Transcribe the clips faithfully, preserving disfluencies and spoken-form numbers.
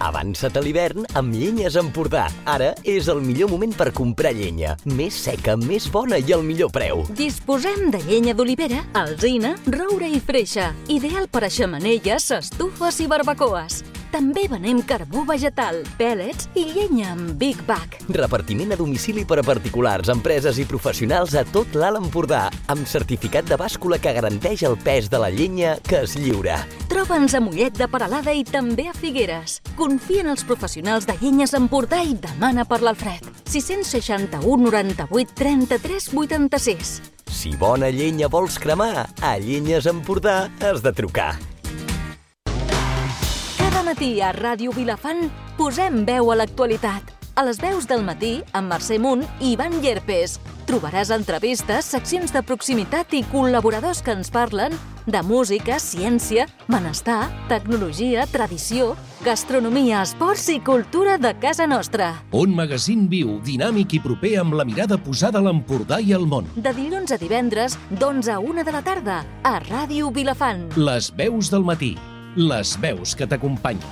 Avança't a l'hivern amb Llenyes Empordà. Ara és el millor moment per comprar llenya. Més seca, més bona i al millor preu. Disposem de llenya d'olivera, alzina, roure i freixa. Ideal per a xemeneies, estufes i barbacoes. També venem carbó vegetal, pèl·lets i llenya amb Big Bag. Repartiment a domicili per a particulars, empreses i professionals a tot l'Alt Empordà, amb certificat de bàscula que garanteix el pes de la llenya que es lliura. Troba'ns a Mollet de Peralada i també a Figueres. Confia en els professionals de Llenyes Empordà i demana per l'Alfred. sis seixanta u noranta-vuit trenta-tres vuitanta-sis. Si bona llenya vols cremar, a Llenyes Empordà has de trucar. Cada matí a Ràdio Vilafant posem veu a l'actualitat. A les veus del matí, amb Mercè Munt i Ivan Llerpes. Trobaràs entrevistes, seccions de proximitat i col·laboradors que ens parlen de música, ciència, benestar, tecnologia, tradició, gastronomia, esports i cultura de casa nostra. Un magazín viu, dinàmic i proper amb la mirada posada a l'Empordà i al món. De dilluns a divendres, d'onze a una de la tarda, a Ràdio Vilafant. Les veus del matí. Les veus que t'acompanyen.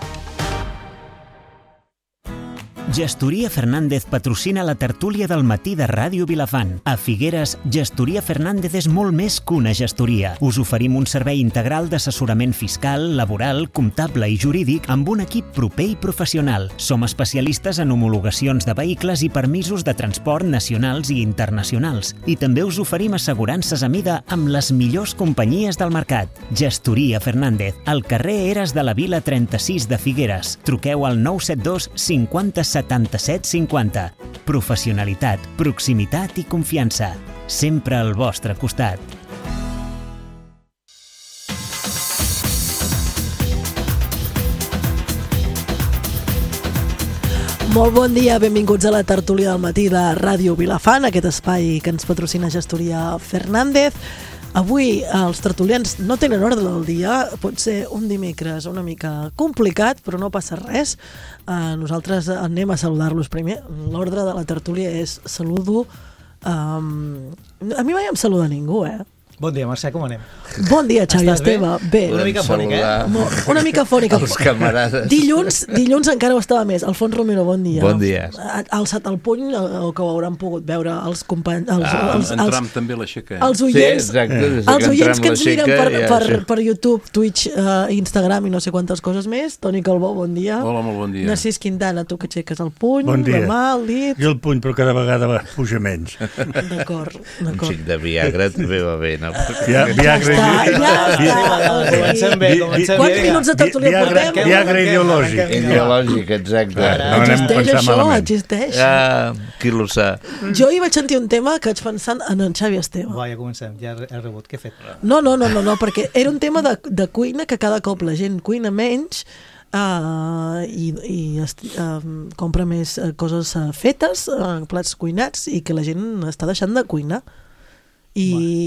Gestoria Fernández patrocina la tertúlia del matí de Ràdio Vilafant. A Figueres, Gestoria Fernández és molt més que una gestoria. Us oferim un servei integral d'assessorament fiscal, laboral, comptable i jurídic amb un equip proper i professional. Som especialistes en homologacions de vehicles i permisos de transport nacionals i internacionals. I també us oferim assegurances a mida amb les millors companyies del mercat. Gestoria Fernández, al carrer Eres de la Vila trenta-sis de Figueres. Truqueu al nou set dos cinquanta setanta-set cinquanta. Professionalitat, proximitat i confiança. Sempre al vostre costat. Molt bon dia, benvinguts a la tertúlia del matí de Ràdio Vilafant, aquest espai que ens patrocina Gestoria Fernández. Avui els tertulians no tenen ordre del dia, pot ser un dimecres una mica complicat, però no passa res. Uh, nosaltres anem a saludar-los primer. L'ordre de la tertúlia és saludo... Um, a mi mai em saluda ningú, eh? Bon dia, Mercè, com anem? Bon dia, Xavi Esteve. Bé? Una mica fònica, eh? Una mica fònica. Els camarades. Dilluns, dilluns encara ho estava més. Alfons Romero, bon dia. Bon dia. Ha alçat el puny, o que ho hauran pogut veure els companys... Els, ah, els, en els, Trump també l'aixeca. Eh? Els oients, sí, exacte, els que oients que ens miren per, ja, per, sí. per YouTube, Twitch, uh, Instagram i no sé quantes coses més. Toni Calbó, bon dia. Hola, molt bon dia. Narcís Quintana, tu que aixeques el puny, bon dia. la mà, el dit... Jo el puny, però cada vegada va puja menys. D'acord, d'acord. Un xic de Viagra també va bé, no? Ja, Viagra, ja està, ja està. Comencem bé, comencem bé. Quants minuts de tertúlia Viagra, portem? Viagra ideològic. Ideològic, exacte. No anem a Existeix pensar això, malament. existeix. Ja, qui lo sap. Jo hi vaig sentir un tema que vaig pensant en en Xavi Esteve. Va, ja comencem, ja he rebut. Què he fet? No, no, no, no, no perquè era un tema de, de cuina que cada cop la gent cuina menys uh, i, i uh, compra més uh, coses uh, fetes, uh, plats cuinats, i que la gent està deixant de cuinar. I,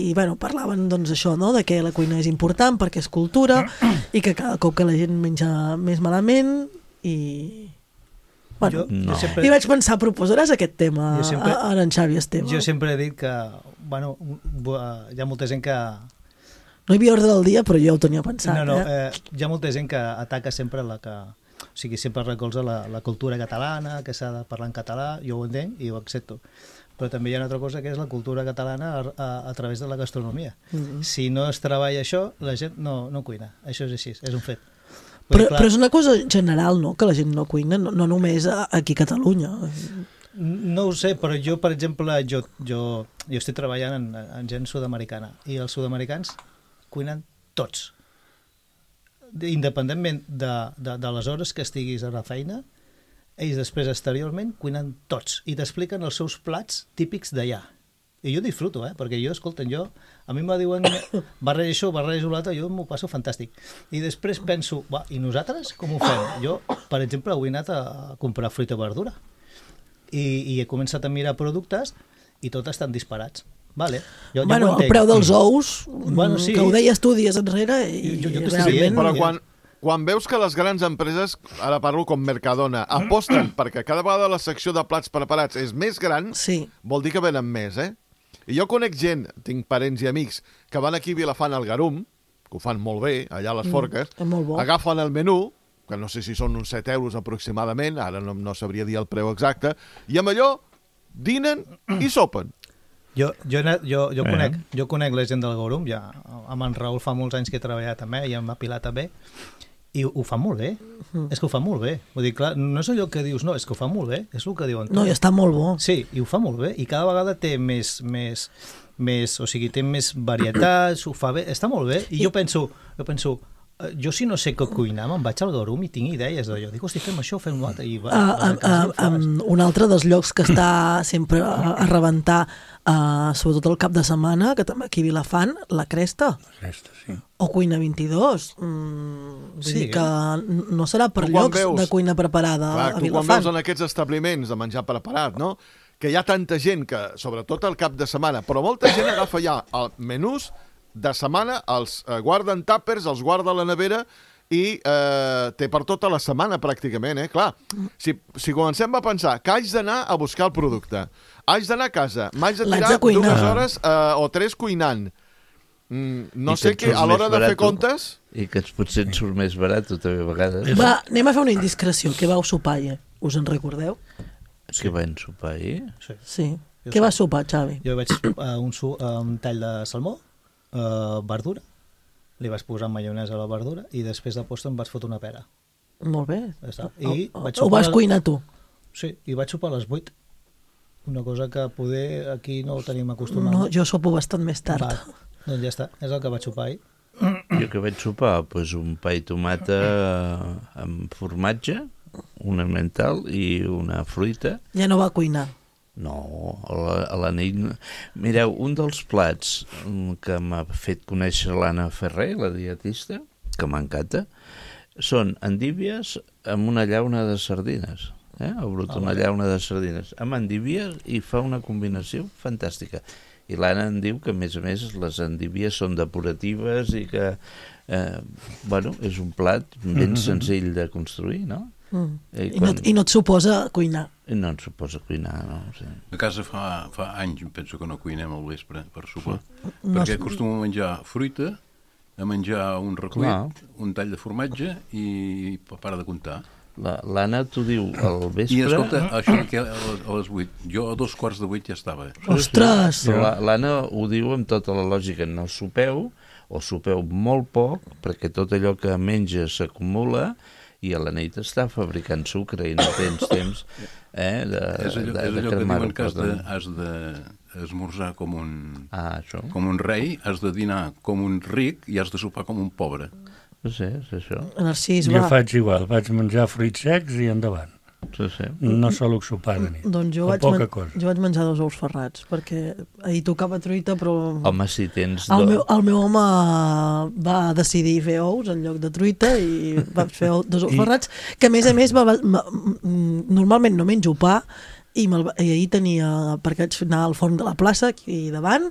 i bueno, parlaven doncs això, no? De que la cuina és important perquè és cultura i que cada cop que la gent menja més malament i... Bueno, jo, no. jo sempre... i vaig pensar, proposaràs aquest tema sempre, a, a en Xavi Esteve? Jo sempre he dit que, bueno, hi ha molta gent que... No hi havia ordre del dia, però jo ho tenia pensat. No, no, eh? eh, hi ha molta gent que ataca sempre la que... O sigui, sempre recolza la, la cultura catalana, que s'ha de parlar en català, jo ho entenc i ho accepto. Però també hi ha una altra cosa que és la cultura catalana a, a, a través de la gastronomia. Mm-hmm. Si no es treballa això, la gent no, no cuina. Això és així, és un fet. Però, clar, però és una cosa general, no?, que la gent no cuina, no, no només aquí a Catalunya. No ho sé, però jo, per exemple, jo, jo, jo estic treballant en, en gent sud-americana i els sud-americans cuinen tots. Independentment de, de, de les hores que estiguis a la feina, ells després exteriorment cuinen tots i t'expliquen els seus plats típics d'allà. I jo disfruto, eh? Perquè jo, escolten, jo, a mi me diuen barreja això, barreja l'altre, jo m'ho passo fantàstic. I després penso, va, i nosaltres com ho fem? Jo, per exemple, avui he anat a comprar fruita i verdura i, i he començat a mirar productes i tots estan disparats. Vale. Jo, bueno, jo el preu dels ous, bueno, sí. que ho deies tu dies enrere, i jo, jo realment... Però quan, quan veus que les grans empreses, ara parlo com Mercadona, aposten perquè cada vegada la secció de plats preparats és més gran, sí. Vol dir que venen més, eh? I jo conec gent, tinc parents i amics, que van aquí a Vilafant al Garum, que ho fan molt bé, allà a les Forques, mm, agafen el menú, que no sé si són uns set euros aproximadament, ara no, no sabria dir el preu exacte, i amb allò dinen i sopen. Jo, jo, he anat- jo, jo, Eh. conec, jo conec la gent del Gorum, ja, amb en Raül fa molts anys que he treballat també, i amb la Pilar també, i ho fa molt bé, és que ho fa molt bé. Vull dir, clar, no és allò que dius, no, és que ho fa molt bé, és el que diuen. No, i està molt bo. Sí, i ho fa molt bé, i cada vegada té més, més, més, o sigui, té més varietats, ho fa bé, està molt bé, i jo penso, jo penso, eh, jo si no sé què cuinar, me'n vaig al Gorum i tinc idees d'allò. Dic, hosti, fem això, fem l'altre, i va, Uh, vas a uh, casa i ho uh, fas. um, un altre dels llocs que està sempre a, a rebentar, uh, sobretot el cap de setmana, que també aquí a Vilafant, la Cresta, Aquesta, sí. o Cuina vint-i-dos. Mm, vull Sí, dir que n- no serà per Tu quan llocs veus- de cuina preparada Clar, a tu quan Vilafant. veus en aquests establiments de menjar preparat, no?, que hi ha tanta gent que, sobretot al cap de setmana, però molta gent agafa ja el menús de setmana, els eh, guarda en tàpers, els guarda a la nevera i eh, té per tota la setmana pràcticament, eh? Clar, si, si comencem a pensar que haig d'anar a buscar el producte, haig d'anar a casa, m'haig de L'haig tirar de cuinar. dues hores eh, o tres cuinant, mm, no I sé que què, et surt a l'hora més de fer barat. comptes... I que ens potser et surt més barat, també, a vegades. Va, anem a fer una indiscreció. Què vau sopar ahir? Us en recordeu? Que van sopar ahir. Sí. Sí. Jo Què sé. vas sopar, Xavi? Jo vaig a un, su, a un tall de salmó, uh, verdura, li vaig posar maionesa a la verdura i després de postre em vaig fotre una pera. Molt bé. Ja està. I O, vaig o, ho sopar vas a- cuinar tu? Sí, i vaig sopar a les vuit. Una cosa que poder aquí no ho tenim acostumat. No, jo sopo bastant més tard. Va, doncs ja està, és el que vaig sopar ahir. Jo que vaig sopar, doncs un pa i tomata amb formatge, un mental i una fruita. Ja no va cuinar. No, a la, a la nit... Mireu, un dels plats mm, que m'ha fet conèixer l'Anna Ferrer, la dietista, que m'encanta, són endívies amb una llauna de sardines. Eh? Ha brut una llauna de sardines amb endívies i fa una combinació fantàstica. I l'Anna em diu que, a més a més, les endívies són depuratives i que, eh, bueno, és un plat ben senzill de construir, no? Mm. I, I, no, I no et suposa cuinar. no ens suposa cuinar, no? Sí. A casa fa, fa anys, penso que no cuinem al vespre per sopar, No perquè es- acostumo a menjar fruita, a menjar un recuit, Clar. un tall de formatge i para de comptar. La- L'Anna t'ho diu al vespre... I escolta, això que a les, a les vuit, jo a dos quarts de vuit ja estava. Ostres! Però la- l'Anna ho diu amb tota la lògica, no sopeu, o sopeu molt poc, perquè tot allò que menges s'acumula, i a la nit està fabricant sucre i no tens temps eh, de, És allò, de, és de allò que cremar-ho. diuen que has de, Perdó. has d'esmorzar com un, Ah, això? com un rei, has de dinar com un ric i has de sopar com un pobre. No sé, és això. Narcís, Jo va. faig igual, vaig menjar fruits secs i endavant. Sí, sí. No solo sopar de nit. Doncs jo O vaig, poca men cosa. jo vaig menjar dos ous ferrats, perquè ahir tocava truita, però Home, si tens... el, do- meu, el meu home va decidir fer ous en lloc de truita i vaig fer ou- dos ous I- ferrats, que a més a més va, va, ma- mm, normalment no menjo pa, i, me'l va- i ahir tenia, perquè vaig anar al forn de la plaça aquí davant,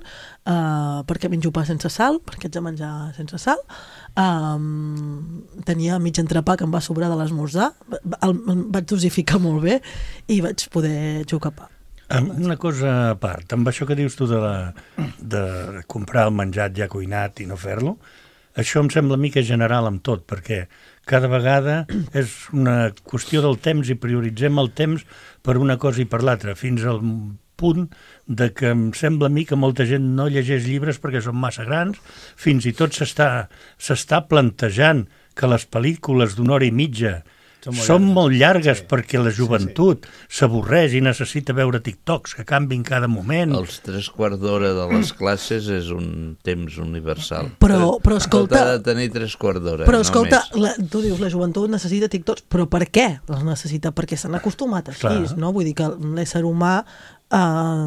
uh, perquè menjo pa sense sal, perquè haig de menjar sense sal, um, tenia mig entrepà que em va sobrar de l'esmorzar, el, el vaig dosificar molt bé i vaig poder jugar pa. Amb una cosa a part, amb això que dius tu de, la, de comprar el menjat ja cuinat i no fer-lo, això em sembla a mi que és general amb tot, perquè cada vegada és una qüestió del temps i prioritzem el temps per una cosa i per l'altra, fins al punt de que em sembla a mi que molta gent no llegeix llibres perquè són massa grans, fins i tot s'està s'està plantejant que les pel·lícules d'una hora i mitja Són molt són llargues. molt llargues Sí. perquè la joventut s'avorreix i necessita veure TikToks que canvin cada moment. Els tres quarts d'hora de les classes és un temps universal. Però- però escolta- Tot ha de tenir tres quarts d'hora, Però no escolta, més. la, tu dius, la joventut necessita TikToks, però per què els necessita? Perquè s'han acostumat així, Clar. no? Vull dir que l'ésser humà eh,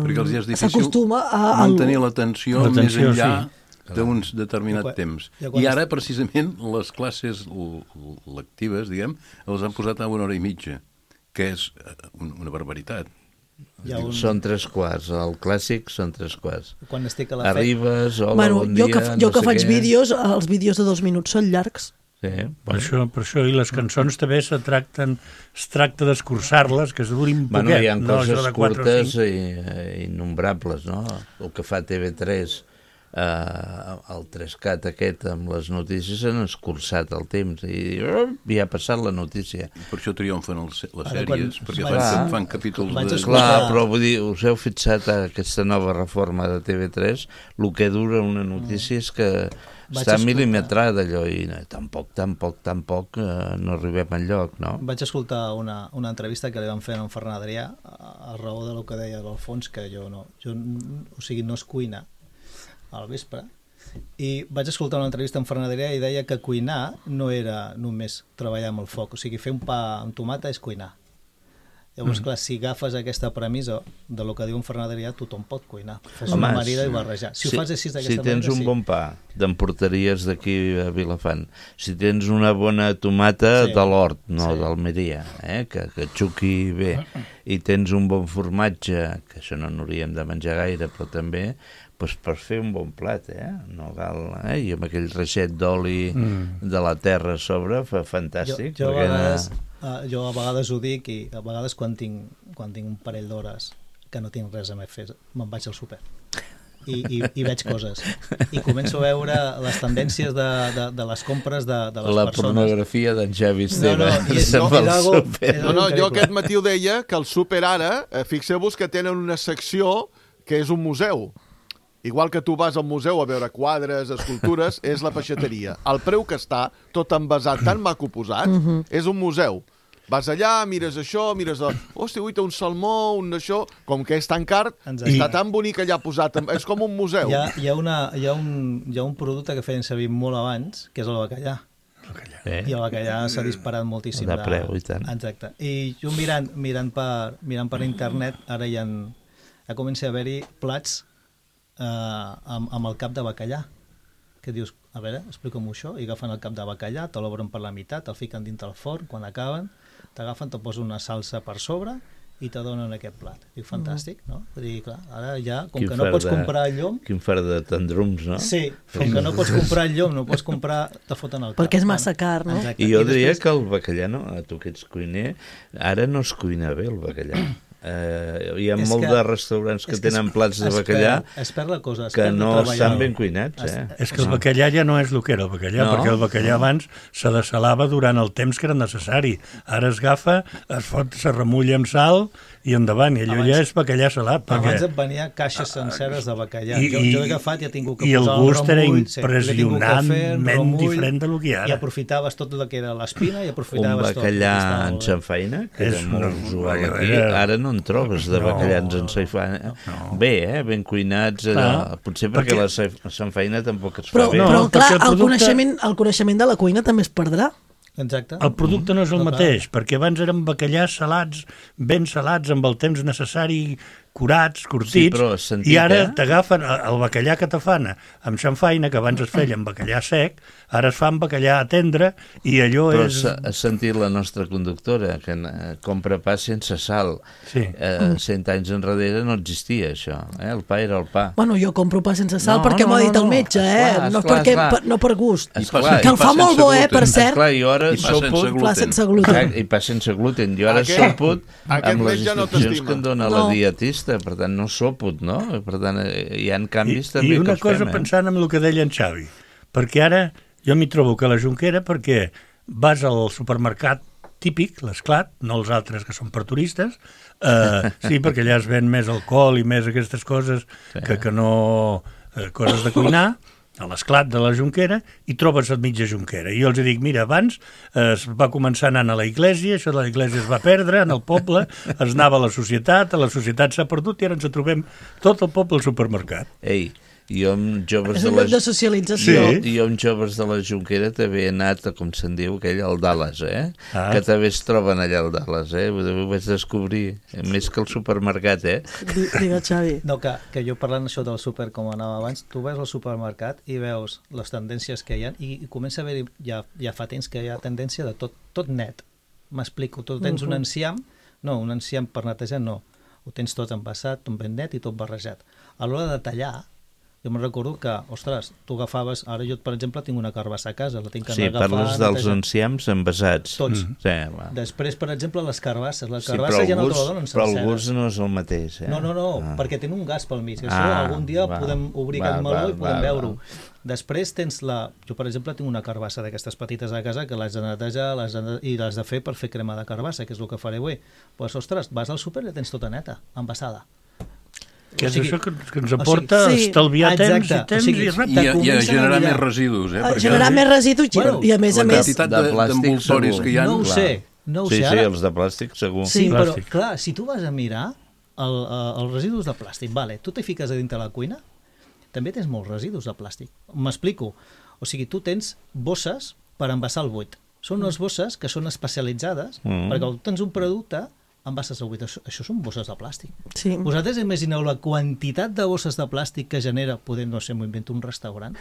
Perquè els hi és difícil s'acostuma a... al- mantenir l'atenció més L'atenció, enllà sí. d'un determinat Ja quan- temps. ja quan I ara, est- precisament, les classes l- l- lectives, diguem, les han posat a una hora i mitja, que és eh, un- una barbaritat. Hi ha un... Són tres quarts, el clàssic són tres quarts. Quan estic a la feina... Arribes, hola, bueno, bon jo dia, que, jo no que sé faig què. vídeos, els vídeos de dos minuts són llargs. Sí, Per bueno. això, per això, i les cançons també se tracten, es tracta d'escurçar-les, que es durin Bueno, poquet. hi ha no coses això de quatre o curtes cinc. i eh, innombrables, no? El que fa T V tres eh, el tres cat aquest amb les notícies han escurçat el temps i uh, ja ha passat la notícia. Per això triomfen els, les Ara, sèries, quan perquè vaig- fan, fan capítols vaig de... escoltar- Clar, però vull dir, us heu fixat a aquesta nova reforma de T V tres, el que dura una notícia és que Vaig està escoltar. milimetrada allò i no, tampoc, tampoc, tampoc eh, no arribem enlloc, no? Vaig escoltar una, una entrevista que li van fer a en Ferran Adrià a, a raó del que deia l'Alfons, que jo no, jo, n- o sigui, no es cuina al vespre, i vaig escoltar una entrevista amb Ferran Adrià i deia que cuinar no era només treballar amb el foc, o sigui, fer un pa amb tomata és cuinar. Llavors, mm. clar, si agafes aquesta premissa de lo que diu en Ferran Adrià, tothom pot cuinar. Fes Home, una marida i barrejar. Si, si, ho fas així si d'aquesta tens manera, un sí. bon pa d'emporteries d'aquí a Vilafant, si tens una bona tomata Sí. de l'Hort, no Sí. d'Almeria, eh, que, que xuqui bé, i tens un bon formatge, que això no n'hauríem de menjar gaire, però també pues, per fer un bon plat, eh? No cal, eh? I amb aquell reixet d'oli mm. de la terra a sobre, fa fantàstic. Jo, jo, a perquè vegades, uh, jo a vegades ho dic i a vegades quan tinc, quan tinc un parell d'hores que no tinc res a més fer, me'n vaig al súper i, i, i veig coses i començo a veure les tendències de, de, de les compres de, de les la persones. pornografia d'en Xavi Esteve. No, no, i és- se'n no, va és al algo- súper. és No, no, jo increïble. aquest matí ho deia, que el súper ara, eh, fixeu-vos que tenen una secció que és un museu. Igual que tu vas al museu a veure quadres, escultures, és la peixateria. El preu que està, tot envasat, tan maco posat, és un museu. Vas allà, mires això, mires... El... Hòstia, ui, té un salmó, un això... Com que és tan car, Exacte. està tan bonic allà posat. És com un museu. Hi ha, hi, ha una, hi, ha un, hi ha un producte que feien servir molt abans, que és el bacallà. Eh? I el bacallà s'ha disparat moltíssim. De preu, i tant. Exacte. I jo mirant, mirant, per, mirant per internet, ara ja, en, ja comença a haver-hi plats eh, amb, amb el cap de bacallà, que dius, a veure, explica'm això, i agafen el cap de bacallà, te l'obren per la meitat, el fiquen dintre el forn, quan acaben, t'agafen, te posen una salsa per sobre i te donen aquest plat. Dic, fantàstic, no? Vull dir, clar, ara ja, com Quin que no far pots de- comprar llom, Quin far de tendrums, no? sí, com que no pots comprar llom, no pots comprar, te foten el cap. Perquè és massa car, no? Exacte. I jo diria després- que el bacallà, no, a tu que ets cuiner, ara no es cuina bé el bacallà. Eh, hi ha És molt que- de restaurants que és que es- tenen plats de es bacallà perd- es perd la cosa, es que perd de no treballar. estan ben cuinats, eh? És que el bacallà ja no és el que era el bacallà, No. perquè el bacallà abans se desalava durant el temps que era necessari. Ara es agafa, es fot, se remulla amb sal i endavant, i allò Abans- ja és bacallà salat. Abans Perquè... et venia caixes senceres de bacallà. I- jo, jo he agafat i he tingut que i el posar gust un era remull, sí, l'he tingut que fer, un impressionantment remull, diferent del que hi ha ara. I aprofitaves tot el que era l'espina i Un aprofitaves tot. bacallà Estava en molt bé. xamfaina, que És és molt una- usual una- aquí, ara no en trobes de No, bacallans en xamfaina. Bé, eh? Ben cuinats, allò. Clar, Potser perquè, perquè- la sa- xamfaina tampoc es fa Però, bé. No, però perquè clar, el el, producte- coneixement, el coneixement de la cuina també es perdrà. Exacte. El producte no és el No, clar. mateix, perquè abans eren bacallars salats, ben salats, amb el temps necessari, curats, Sí, curtits, però has sentit, i ara eh? t'agafen el bacallà que te fan amb xamfaina, que abans es feia amb bacallà sec, ara es fa amb bacallà tendre, i allò Però és... has, has sentit la nostra conductora, que eh, compra pa sense sal. Sí. Eh, cent anys enrere no existia això. Eh? El pa era el pa. Bueno, jo compro pa sense sal No, perquè no, m'ho ha dit no, el no. metge, eh? Esclar, no, esclar, perquè, esclar. per, no per gust. Esclar, que el i pa fa molt sense bo, eh, gluten. per cert. Esclar, jo ara I pa sense sopo... gluten. Pla sense gluten. Exacte, i pa sense gluten. Jo ara Aquest- soput aquest amb les metge no instruccions t'estima. que em dona No. la dietista, per tant no soput, no? Per tant, eh, hi ha canvis I, també i una que els cosa fem, eh? pensant en el que deia en Xavi, perquè ara jo m'hi trobo que a la Jonquera, perquè vas al supermercat típic, l'Esclat, no els altres que són per turistes, eh, sí, perquè allà es ven més alcohol i més aquestes coses que, que no eh, coses de cuinar, a l'Esclat de la Jonquera, i trobes a mitja Jonquera. I jo els dic, mira, abans eh, es va començar anant a la iglesia, això de la iglesia es va perdre en el poble, es anava a la societat, a la societat s'ha perdut i ara ens trobem tot el poble al supermercat. Ei, jo amb joves És de un la... lloc de socialització. Jo, jo amb joves de la Jonquera també he anat, a, com se'n diu, aquell al Dallas, eh? Ah. Que també es troben allà al Dallas, eh? Ho ho vaig descobrir, eh, més que el supermercat, eh? Di- Digue'l, Xavi. No, que, que jo parlant això del súper com anava abans, tu veus al supermercat i veus les tendències que hi ha i, i comença a haver-hi, ja, ja fa temps que hi ha tendència de tot, tot net. M'explico, tu tens un enciam, no, un enciam per netejar no, ho tens tot envasat, tot ben net i tot barrejat. A l'hora de tallar, jo me'n recordo que, ostres, tu agafaves, ara jo, per exemple, tinc una carbassa a casa, la tinc que Sí, agafar... parles dels netejar. enciams envasats. Tots. Mm. Sí, va. Després, per exemple, les carbasses. La Sí, carbassa però ja el no te gust, la donen però el sencera. gust no és el mateix. Eh? No, no, no, ah. perquè tenen un gas pel mig. Això Ah, algun dia val. podem obrir Val, aquest meló val, i podem val, veure-ho. val. Després tens la... Jo, per exemple, tinc una carbassa d'aquestes petites a casa que l'has de netejar les de... i l'has de fer per fer crema de carbassa, que és el que faré avui. Pues, ostres, vas al súper i la tens tota neta, envasada. Que O és sigui- això que, que ens aporta o sigui, a sí, estalviar temps exacte, i temps o sigui, i ràpid. I, a, i a comencen a generar mirar. més residus, eh? A Perquè generar més residus i, Bueno, i a més a la més... quantitat de, de plàstic d'envoltoris segur. que hi ha... No ho clar. sé, no ho Sí, sé. sí, Ara... els de plàstic segur. Sí, però, Plàstic. clar, si tu vas a mirar el, eh, els residus de plàstic, vale, tu t'hi fiques a dintre la cuina, també tens molts residus de plàstic. M'explico. O sigui, tu tens bosses per envasar el buit. Són unes bosses que són especialitzades, Mm. perquè quan tu tens un producte, envases el buit. Això, això són bosses de plàstic. Sí. Vosaltres imagineu la quantitat de bosses de plàstic que genera, poder, no sé, m'ho invento, un restaurant?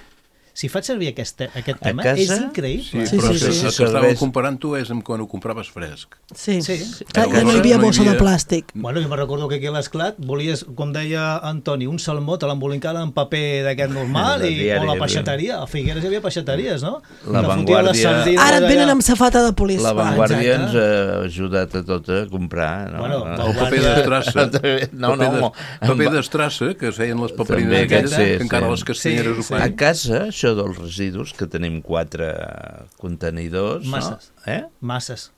Si faig servir aquest, te aquest A tema, casa? és increïble. Sí, Sí, però sí, sí, sí. sí. el que Serveix- estàvem comparant tu és amb quan ho compraves fresc. Sí, Sí. Clar, ja no hi Llavors havia no hi bossa de havia- plàstic. Bueno, jo me recordo que aquí a l'Esclat volies, com deia Antoni, un salmó, te l'embolincava en paper d'aquest normal, De i, diari, o la eh? peixateria. A Figueres hi havia peixateries, no? La Que fotia Vanguardia- les sardines Ara et allà. venen amb safata de polis. La va. Vanguardia exacte. ens ha ajudat a tot a comprar. No? Bueno, no. El paper d'estrassa. No, paper no. d'es- paper d'estrassa, que es feien les paperines També, aquelles, sí, que encara sí. les castanyeres Sí, ho sí. A fan. casa, això dels residus, que tenim quatre contenidors, Masses. no? Eh? Masses.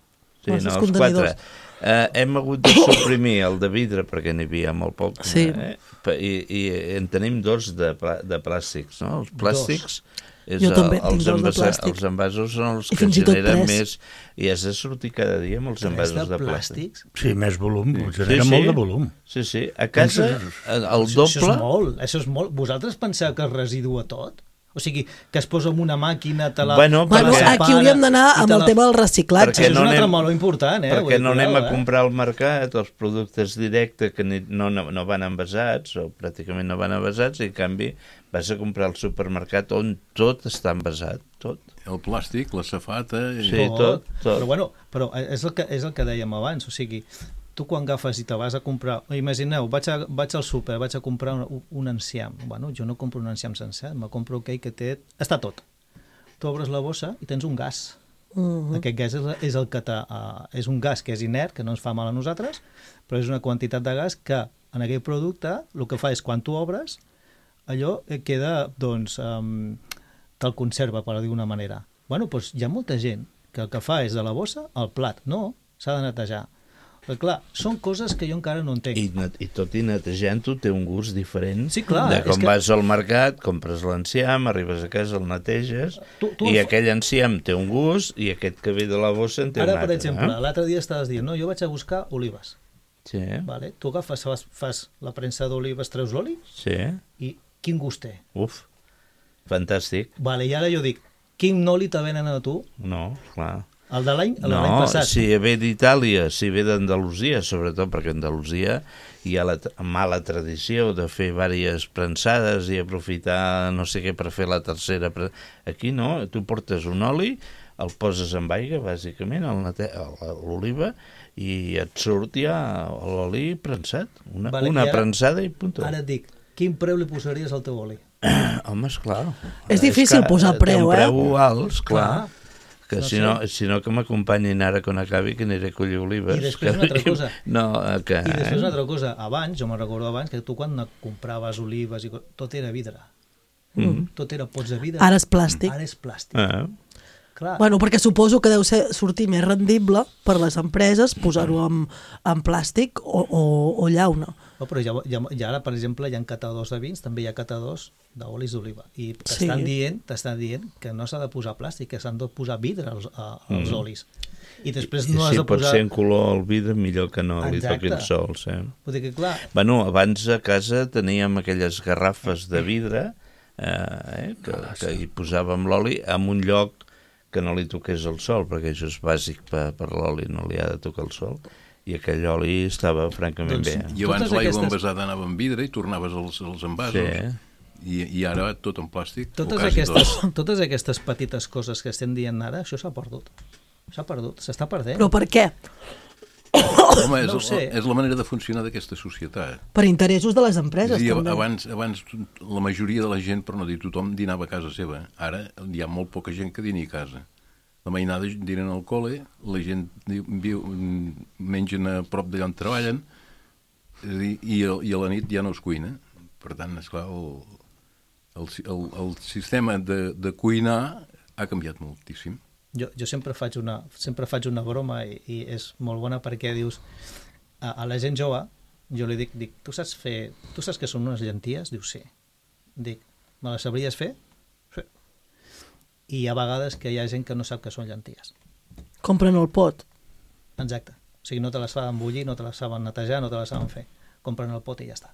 Sí, Masses no, els contenidors. quatre. Eh, hem hagut de suprimir el de vidre perquè n'hi havia molt poc. Sí. Eh? Pa- I, I en tenim dos de, plà- de plàstics, no? Els plàstics... És Jo el, també tinc els, dos de envasa- plàstic. els envasos són els I que fins i tot generen tres. més... I has de sortir cada dia amb els Tres envasos de de plàstic. plàstics. Sí, més volum, Sí, genera sí. molt de volum. Sí, sí. A casa, el el Això, això doble... és molt, això és molt. Vosaltres penseu que es residua tot? O sigui, que es posa en una màquina, te la... Bueno, te la Bueno, perquè- aquí hauríem d'anar i amb te el la- tema del reciclatge. Perquè Això és no un altre anem- molt important, eh? Perquè Vull dir, no anem a cuidado, eh? comprar al mercat els productes directes que ni, no, no, no van envasats o pràcticament no van envasats i en canvi vas a comprar al supermercat on tot està envasat, tot. El plàstic, la safata... I... Sí, tot, tot. Però bueno, però és el que, és el que dèiem abans, o sigui, tu quan agafes i te vas a comprar... Imagineu, vaig, a, vaig al súper, vaig a comprar un, un enciam. Bueno, jo no compro un enciam sencer, me compro aquell que té... Està tot. Tu obres la bossa i tens un gas. Mhm. Aquest gas és, és el que t'ha... Uh, és un gas que és inert, que no ens fa mal a nosaltres, però és una quantitat de gas que en aquell producte el que fa és quan tu obres, allò eh, queda, doncs, um, te'l conserva, per dir d'una manera. Bueno, doncs hi ha molta gent que el que fa és de la bossa al plat. No, s'ha de netejar. Però clar, són coses que jo encara no entenc. I, net- i tot i netejant-ho té un gust diferent Sí, clar, de és com que- vas al mercat, compres l'enciam, arribes a casa, el neteges, Tu- tu i el fa- aquell enciam té un gust i aquest que ve de la bossa en té Ara, un per altre. exemple, eh? l'altre dia estaves dient, no, jo vaig a buscar olives. Sí, Vale? Tu agafes, fas, fas la premsa d'olives, treus l'oli, sí, i quin gust té? uf, fantàstic. Vale, i ara jo dic, quin oli te venen a tu? No, clar. El de l'any el de l'any No, passat. si ve d'Itàlia, si ve d'Andalusia, sobretot perquè a Andalusia hi ha la tra- mala tradició de fer diverses prensades i aprofitar no sé què per fer la tercera. pre- Aquí no, tu portes un oli, el poses amb aigua, bàsicament, el nate- el- l'oliva, i et surt ja l'oli prensat. Una, Vale, una i ara- prensada i punt. Ara et dic, quin preu li posaries al teu oli? Home, esclar. És difícil que posar té preu, un eh? preu alt, clar. Clar. Que No si, sé. no, si no que m'acompanyin ara quan acabi que aniré a collir olives. I després que... una altra cosa. No, eh, que... I després una altra cosa, abans, jo me'n recordo abans, que tu quan compraves olives, i co- tot era vidre. Mm. Tot era pots de vidre. Ara és plàstic. Ara és plàstic. Ah, Clar. Bueno, perquè suposo que deu ser, sortir més rendible per les empreses posar-ho en, en plàstic o, o, o llauna. No, però ja, ja, ja ara, per exemple, hi ha catadors de vins, també hi ha catadors d'olis d'oliva. I t'estan Sí. dient, t'estan dient que no s'ha de posar plàstic, que s'han de posar vidre als, a, als Mm. olis. I després I no has si de pot posar... ser en color el vidre, millor que no li Exacte. toquin sols. Eh? Vull dir que, clar, Bueno, abans a casa teníem aquelles garrafes de vidre eh, eh, que, que hi posàvem l'oli en un lloc que no li toqués el sol, perquè això és bàsic per, per l'oli, no li ha de tocar el sol, i aquell oli estava francament Doncs, bé. I abans Totes l'aigua aquestes- envasada anava en vidre i tornaves als, als envasos. Sí. I, I ara tot en plàstic. o totes quasi aquestes, tot. totes aquestes petites coses que estem dient ara, això s'ha perdut. S'ha perdut, s'està perdent. Però per què? Home, és, No ho sé. és la manera de funcionar d'aquesta societat. Per interessos de les empreses, Sí, també. abans, abans la majoria de la gent, per no dir tothom, dinava a casa seva. Ara hi ha molt poca gent que dini a casa. La mainada dinen al col·le, la gent viu, mengen a prop d'allà on treballen i, i, i a la nit ja no es cuina. Per tant, esclar, el, el, el, el sistema de, de cuinar ha canviat moltíssim. Jo, jo sempre faig una, sempre faig una broma i, i és molt bona perquè dius a, a la gent jove, jo li dic, dic tu saps fer, tu saps que són unes llenties? Diu, sí. Dic, me les sabries fer? Sí. I hi ha vegades que hi ha gent que no sap que són llenties. Compren el pot. Exacte. O sigui, no te les saben bullir, no te les saben netejar, no te les saben fer. Compren el pot i ja està.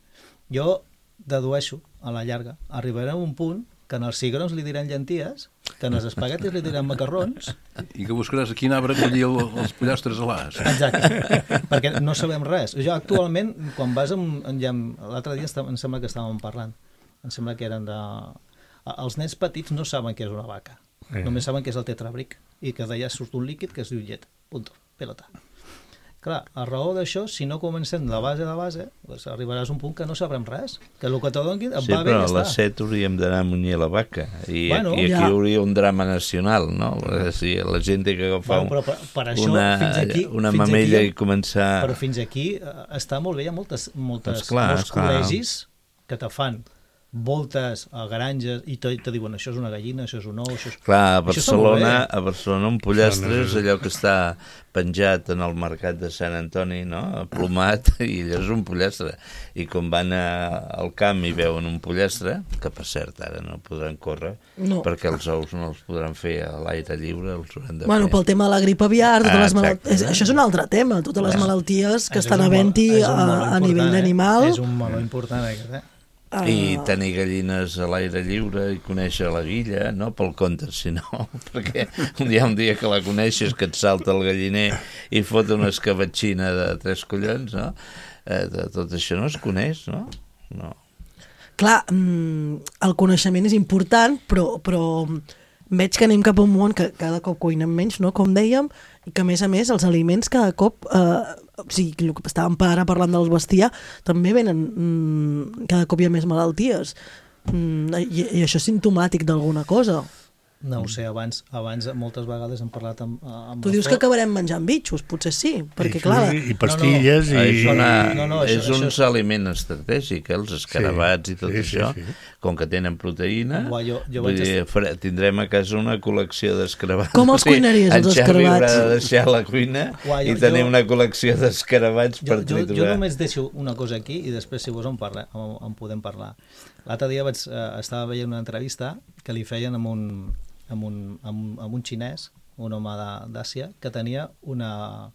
Jo dedueixo, a la llarga, arribarem a un punt que en els cigrons li diran llenties, que en els espaguetis li diran macarrons. I que buscaràs a quin arbre collir el, els pollastres a l'as. Exacte, perquè no sabem res. Jo actualment, quan vas amb... L'altre dia em sembla que estàvem parlant, em sembla que eren de... Els nens petits no saben què és una vaca, eh. només saben què és el tetrabric, i que d'allà surt un líquid que es diu llet, punto, pelota. Clar, a raó d'això, si no comencem de base de base, doncs arribaràs a un punt que no sabrem res, que el que te donin et sí, va bé i ja està. Sí, però a les set hauríem d'anar a munyir la vaca, i, bueno, i aquí ja. hi hauria un drama nacional, no? Si la gent té que agafar bueno, però per, per això, una, fins aquí, una fins mamella aquí, i començar... Però fins aquí eh, està molt bé, hi ha moltes, moltes, esclar, molts esclar. col·legis que te fan voltes a granges i te, te diuen això és una gallina, això és un ou, això és... Clar, a Això està molt Barcelona, bé. a Barcelona un pollastre és allò que està penjat en el mercat de Sant Antoni, no? Plomat, i allò és un pollastre. I quan van a, al camp i veuen un pollastre, que per cert ara no podran córrer, No. perquè els ous no els podran fer a l'aire lliure, els hauran de Bueno, fer. pel tema de la grip aviar, totes Ah, les malalt... exacte. és, això és un altre tema, totes les Ah. malalties que És estan un havent-hi meló- és un a, meló a important, nivell eh? d'animal. És un meló important, aquest, eh? I tenir gallines a l'aire lliure i conèixer la guilla, no pel compte, sinó perquè hi ha un dia que la coneixes, que et salta el galliner i fot una escabatxina de tres collons, no? Eh, de, tot això no es coneix, no? No. Clar, mm, el coneixement és important, però, però veig que anem cap a un món que cada cop cuinem menys, no? Com dèiem, i que a més a més els aliments cada cop, eh, o sigui, el que estàvem ara parlant del bestiar, també venen, mm, cada cop hi ha més malalties, mm, i, i això és simptomàtic d'alguna cosa. No ho sé, abans, abans moltes vegades hem parlat amb, amb Tu dius que acabarem menjant bitxos, potser sí, perquè clar... I pastilles no, no. i... És, una, no, no, això, és un això és... aliment estratègic, eh? Els escarabats sí, i tot sí, això, sí, sí. com que tenen proteïna, Buah, jo, jo vull vaig dir, estar... tindrem a casa una col·lecció d'escarabats. Com els cuinaries, els escarabats? En Xavi haurà de deixar la cuina Buah, jo, i tenir jo... una col·lecció d'escarabats per jo, jo, triturar. jo només deixo una cosa aquí i després, si vols, en, parla, en, en podem parlar. L'altre dia vaig, eh, estava veient una entrevista que li feien amb un, amb un, amb, amb un xinès, un home d'Àsia, que tenia una,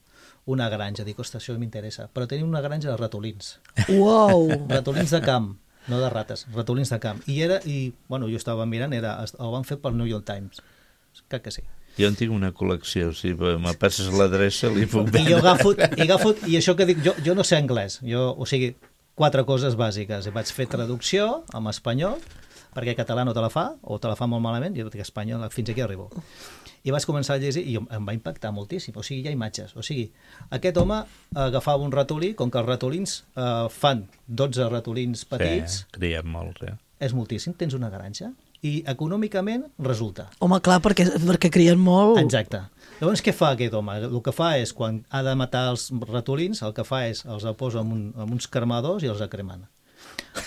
una granja. Dic, ostres, això m'interessa. Però tenia una granja de ratolins. Uau! Ratolins de camp, no de rates, ratolins de camp. I era, i, bueno, jo estava mirant, era, el van fer pel New York Times. Crec que sí. Jo en tinc una col·lecció, si me passes l'adreça li puc I vendre. jo agafo, i agafo, i això que dic, jo, jo no sé anglès, jo, o sigui, quatre coses bàsiques. Vaig fer traducció en espanyol, perquè català no te la fa, o te la fa molt malament, jo dic espanyol, fins aquí arribo. I vaig començar a llegir i em va impactar moltíssim, o sigui, hi ha imatges. O sigui, aquest home agafava un ratolí, com que els ratolins eh, fan dotze ratolins petits, Sí, crien molts, eh? és moltíssim, tens una granja, i econòmicament resulta. Home, clar, perquè, perquè crien molt... Exacte. Llavors, què fa aquest home? El que fa és, quan ha de matar els ratolins, el que fa és, els posa en, un, en uns cremadors i els acremen.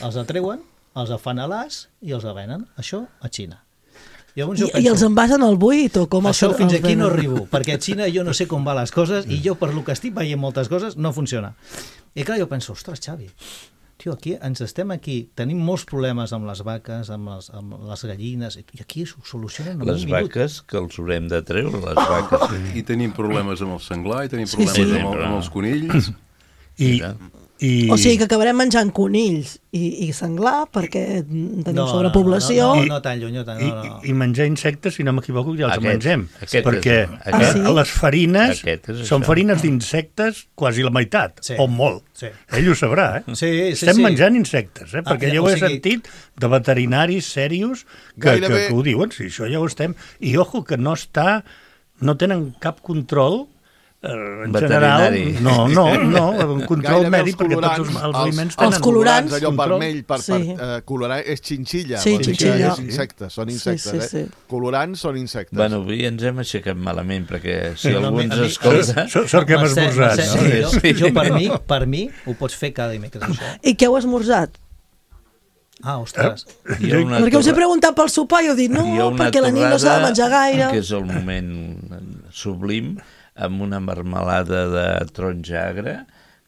Els atreuen, els fan a l'as i els venen. Això a Xina. Llavors, jo I, penso, I els envasen al buit o com això els, fins els aquí no venen? arribo, perquè a Xina jo no sé com van les coses i jo, per lo que estic veient moltes coses, no funciona. I clar, jo penso, ostres, Xavi, tio, aquí ens estem aquí, tenim molts problemes amb les vaques, amb les, amb les gallines, i aquí ho solucionen en Les un minut. vaques, que els haurem de treure, les vaques. I tenim problemes amb el senglar, i tenim Sí, problemes sí. amb, el, amb els conills. I, Mira. i... O sigui que acabarem menjant conills i, i senglar perquè tenim No, sobrepoblació. No, no, no, no tan lluny, no tan, I, no, no. i menjar insectes, si no m'equivoco, ja els Aquest, mengem. aquest perquè és- aquest- Ah, sí? les farines Aquest és són això. farines d'insectes quasi la meitat, Sí. o molt. Sí. Ell ho sabrà, eh? Sí, sí, Estem sí. menjant insectes, eh? Ah, Perquè ja, jo o ho he sigui- sentit de veterinaris serios que, que, Gairebé- que ho diuen, sí, això ja ho estem. I ojo, que no està, no tenen cap control en general, no, no, no, un control mèdic, perquè tots els, els aliments tenen... Els colorants, allò control. vermell, per, Sí. per uh, colorar, és xinxilla. Sí, vol dir que xinxilla. És insectes, són Sí, insectes, sí, sí. eh? Colorants són insectes. Bueno, avui ens hem aixecat malament, perquè si No, algú a mi- ens a mi- escolta... Sort sort que hem Mercè, esmorzat, Mercè, no? jo, Sí. jo per mi, per mi, ho pots fer cada dimecres, això. I què heu esmorzat? Ah, ostres. Hi ha una Perquè us he torra- preguntat pel sopar i heu dit no, hi ha una perquè la nit no s'ha de torrada menjar gaire. que és el moment sublim, amb una marmelada de taronja agre,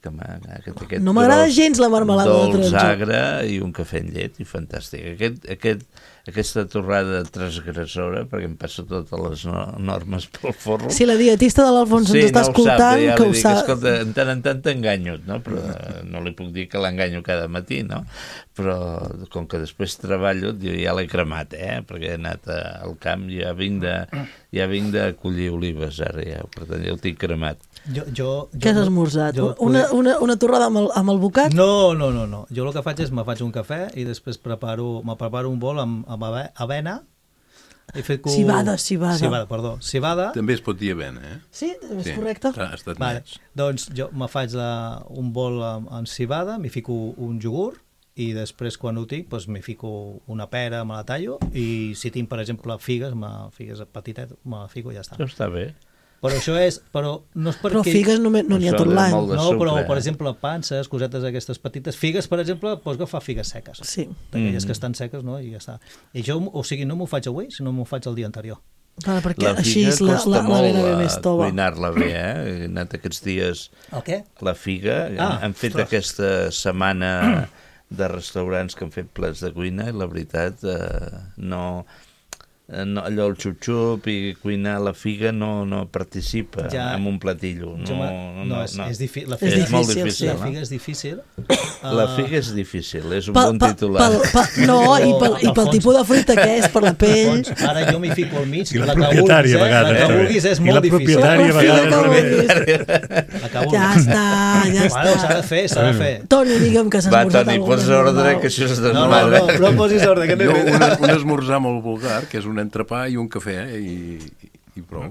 que aquest, aquest No m'agrada gros gens la marmelada de dolç taronja. agre i un cafè amb llet, i fantàstic. Aquest, aquest, aquesta torrada transgressora, perquè em passa totes les no, normes pel forro. Si la dietista de l'Alfons ens està no ho escoltant, sap, ja que li ho dic, sap. escolta, en tant en tant t'enganyo, no? Però no li puc dir que l'enganyo cada matí, no? Però com que després treballo, jo ja l'he cremat, eh? Perquè he anat a, al camp, ja vinc de, ja vinc de collir olives, ara ja, per tant ja ho tinc cremat. Jo, jo, jo, Què has esmorzat? jo- Una, una, una torrada amb el, amb el bocat? No, no, no, no. Jo el que faig és me faig un cafè i després preparo, me preparo un bol amb, amb ave- avena. He fet co- Civada, civada. Civada, perdó. Civada. També es pot dir avena, eh? Sí, és Sí. correcte. Ha estat Vale. net. Doncs jo me faig la, un bol amb, amb civada, m'hi fico un iogurt i després quan ho tinc doncs m'hi fico una pera, me la tallo i si tinc per exemple figues, me, figues petitet, me la fico i ja està. Això està bé. Però això és, però no és perquè... Però figues no, no n'hi ha Això tot de l'any. molt de No, però, sucre, per eh? exemple, panses, cosetes aquestes petites. Figues, per exemple, pots agafar figues seques. Sí. D'aquelles Mm. que estan seques, no? I ja està. I jo, o sigui, no m'ho faig avui, sinó m'ho faig el dia anterior. Vale, perquè La així figa és la, costa la, la molt vena ve a més tova. cuinar-la bé, eh? He anat aquests dies... El què? La figa, Ah, han fet ostres. aquesta setmana de restaurants que han fet plats de cuina i la veritat eh, no, eh, no allò el xup-xup i cuinar la figa no, no participa Ja. en un platillo no, Jo me- no, no, no, és, no. és, difí la És figa, és molt difícil, difícil, sí. la no? figa és difícil. La Ah, figa és difícil, és un Pel- bon pel- titular. pel- pel- no, i pel, i pel Alfons. tipus de fruita que és, per la pell. Doncs ara jo m'hi fico al mig. I la la que propietària, vulguis, a eh? vegades, La que també. vulguis és I molt la difícil. propietària, a Figa vegades, que també. vulguis. La que vulguis. Ja està, ja Bueno, s'ha de està. fer, s'ha de fer. Toni, digue'm que s'ha Va, esmorzat Toni, alguna posa cosa ordre, normal. que això és No, no, desmadre. no, però posis ordre, que no Jo, he fet. un, un esmorzar molt vulgar, que és un entrepà i un cafè, eh, i, i prou.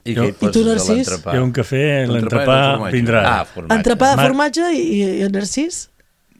I què hi I tu, poses a Narcís? l'entrepà? Hi ha un cafè, L'entrepà l'entrepà és el formatge. vindrà Ah, ara. formatge. Entrepà de Mar- formatge i, i, i Narcís?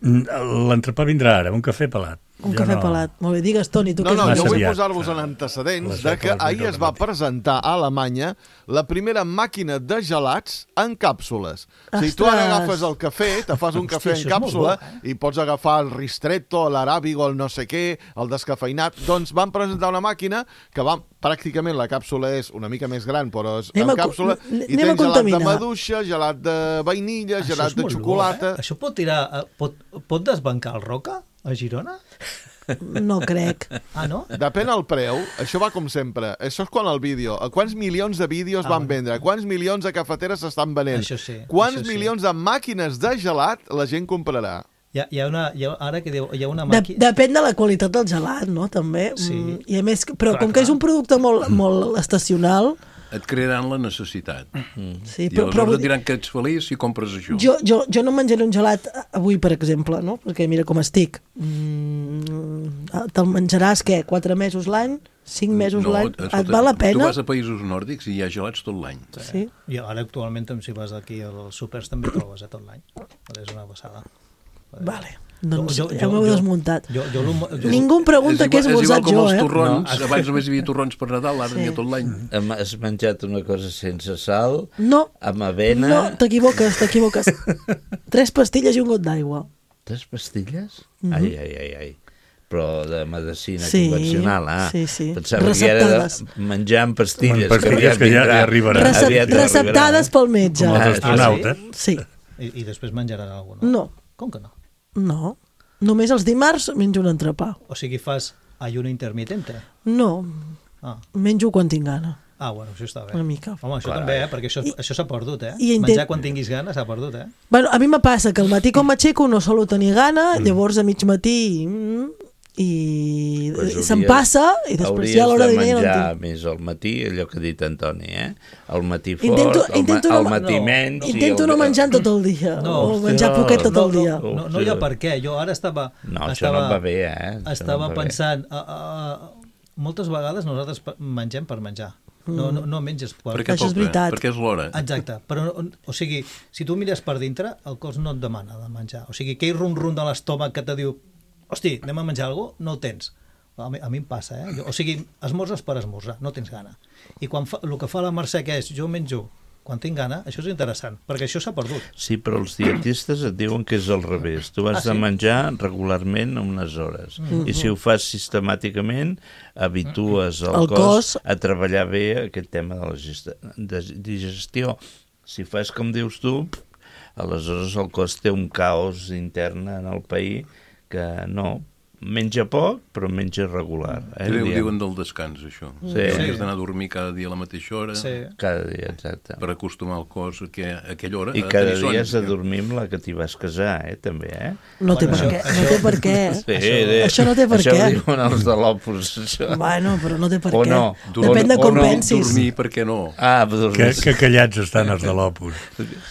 L'entrepà vindrà ara, un cafè pelat. Un Jo cafè no- pelat. Molt bé, digues, Toni, tu No, què no, has massa jo vull aviat. posar-vos en Les antecedents de que set, les ahir vuit es del va matí. presentar a Alemanya la primera màquina de gelats en càpsules. O sigui, tu ara Ostres! agafes el cafè, te fas un cafè Hòstia, en això és molt càpsula bo, i pots agafar el ristretto, l'arabigo, el no sé què, el descafeinat. Doncs van presentar una màquina que va, pràcticament la càpsula és una mica més gran, però és Anem en a co- càpsula, anem i a tens gelat de contaminar. maduixa, gelat de vainilla, Això gelat és de molt bo, xocolata... eh? Això pot tirar... eh, Pot, pot desbancar el Roca a Girona? No crec. Ah, no? Depèn del preu, això va com sempre. Això és quan el vídeo. Quants milions de vídeos Ah, van bueno. vendre? Quants milions de cafeteres s'estan venent? Això sí, Quants això sí. milions de màquines de gelat la gent comprarà? Hi ha, hi ha una... Hi ha, ara que diu, hi ha una De, màquina... depèn de la qualitat del gelat, no? També. Sí. Mm, I a més, però Clar, com que clar. és un producte molt, molt estacional, Et crearan la necessitat. sí, I però, aleshores però vull et dir, diran que ets feliç si compres això. jo, jo, jo no menjaré un gelat avui, per exemple, no? Perquè mira com estic. Mm, te'l menjaràs, què? Quatre mesos l'any? Cinc mesos No, l'any? escolta, Et val la Tu pena? vas a països nòrdics i hi ha gelats tot l'any. Sí. I ara actualment, si vas aquí als súpers, també trobes eh, tot l'any. És una passada. Vale. Doncs Jo- jo- ja m'heu jo- desmuntat. Jo, jo, jo, jo, Ningú em pregunta què he és igual esmorzat com jo, els eh? torrons. No. Abans només hi havia torrons per Nadal, ara Sí. n'hi ha tot l'any. Hem, has menjat una cosa sense sal, No, amb avena... no, t'equivoques, t'equivoques. Tres pastilles i un got d'aigua. Tres pastilles? Mhm. Ai, ai, ai, ai. Però de medicina Sí, convencional, ah. sí, sí. Pensava que era Receptades. de menjar amb pastilles. Amb pastilles que ja- vindrà. ja arribaran. Recep Aviat receptades arribaran. pel metge. Com els Ah, astronautes. Sí. I, I després menjaràs alguna cosa, no? No, Com que no? no. Només els dimarts menjo un entrepà. O sigui, fas ayuno intermitente? No, Ah, menjo quan tinc gana. ah bueno, això està bé. Una mica. Home, això Clar. també, eh? Perquè això, I- això s'ha perdut, eh? i intent- Menjar quan tinguis gana s'ha perdut, eh? Bueno, a mi me passa que al matí com m'aixeco no solo tenir gana, llavors a mig matí mm, i Pues se'm hauries- passa i després ja a l'hora de Hauries dinar de ja no en menjar tinc. més al matí, allò que ha dit Antoni, eh? Al matí fort, Intento, al, intento, ma al no, matí no, menys... i intento al- no menjar tot el dia, No, o menjar hòstia, poquet tot no, el dia. No, no, no hi ha per què. Jo ara estava... No, això estava, no em va bé, eh? Això Estava no em va bé. pensant... Uh, uh, moltes vegades nosaltres pe- mengem per menjar. no, no, no menges porc. Perquè Això és toca, veritat. perquè és l'hora. Exacte, però, o sigui, si tu mires per dintre, el cos no et demana de menjar. O sigui, aquell rum-rum de l'estómac que te diu, hosti, anem a menjar alguna cosa, no ho tens. A mi, a mi em passa, eh? Jo, o sigui, esmorzes per esmorzar, no tens gana. I quan fa, el que fa la Mercè, que és, jo menjo quan tinc gana, això és interessant, perquè això s'ha perdut. Sí, però els dietistes et diuen que és al revés. Tu has Ah, sí? de menjar regularment unes hores. Mm-hmm. I si ho fas sistemàticament, habitues el, El cos, cos a treballar bé aquest tema de la gesta, de digestió. Si fas com dius tu, aleshores el cos té un caos intern en el país que no... Menja poc, però menja regular. Eh, Ho diuen del descans, això. Sí. Que has d'anar a dormir cada dia a la mateixa hora, Sí. Cada dia, exacte. per acostumar el cos a, que, a aquella hora. I a cada tenir son. dia has de dormir amb la que t'hi vas casar, eh, també, eh? No té per Bueno, què. això- No té per què. Sí, Això- això no té per això què. Això ho diuen els de l'Opus, això. Bueno, però no té per O què. no. Depèn de O com no. pensis. Dormir, per què no? Ah, dormir. Que, que callats estan els de l'Opus.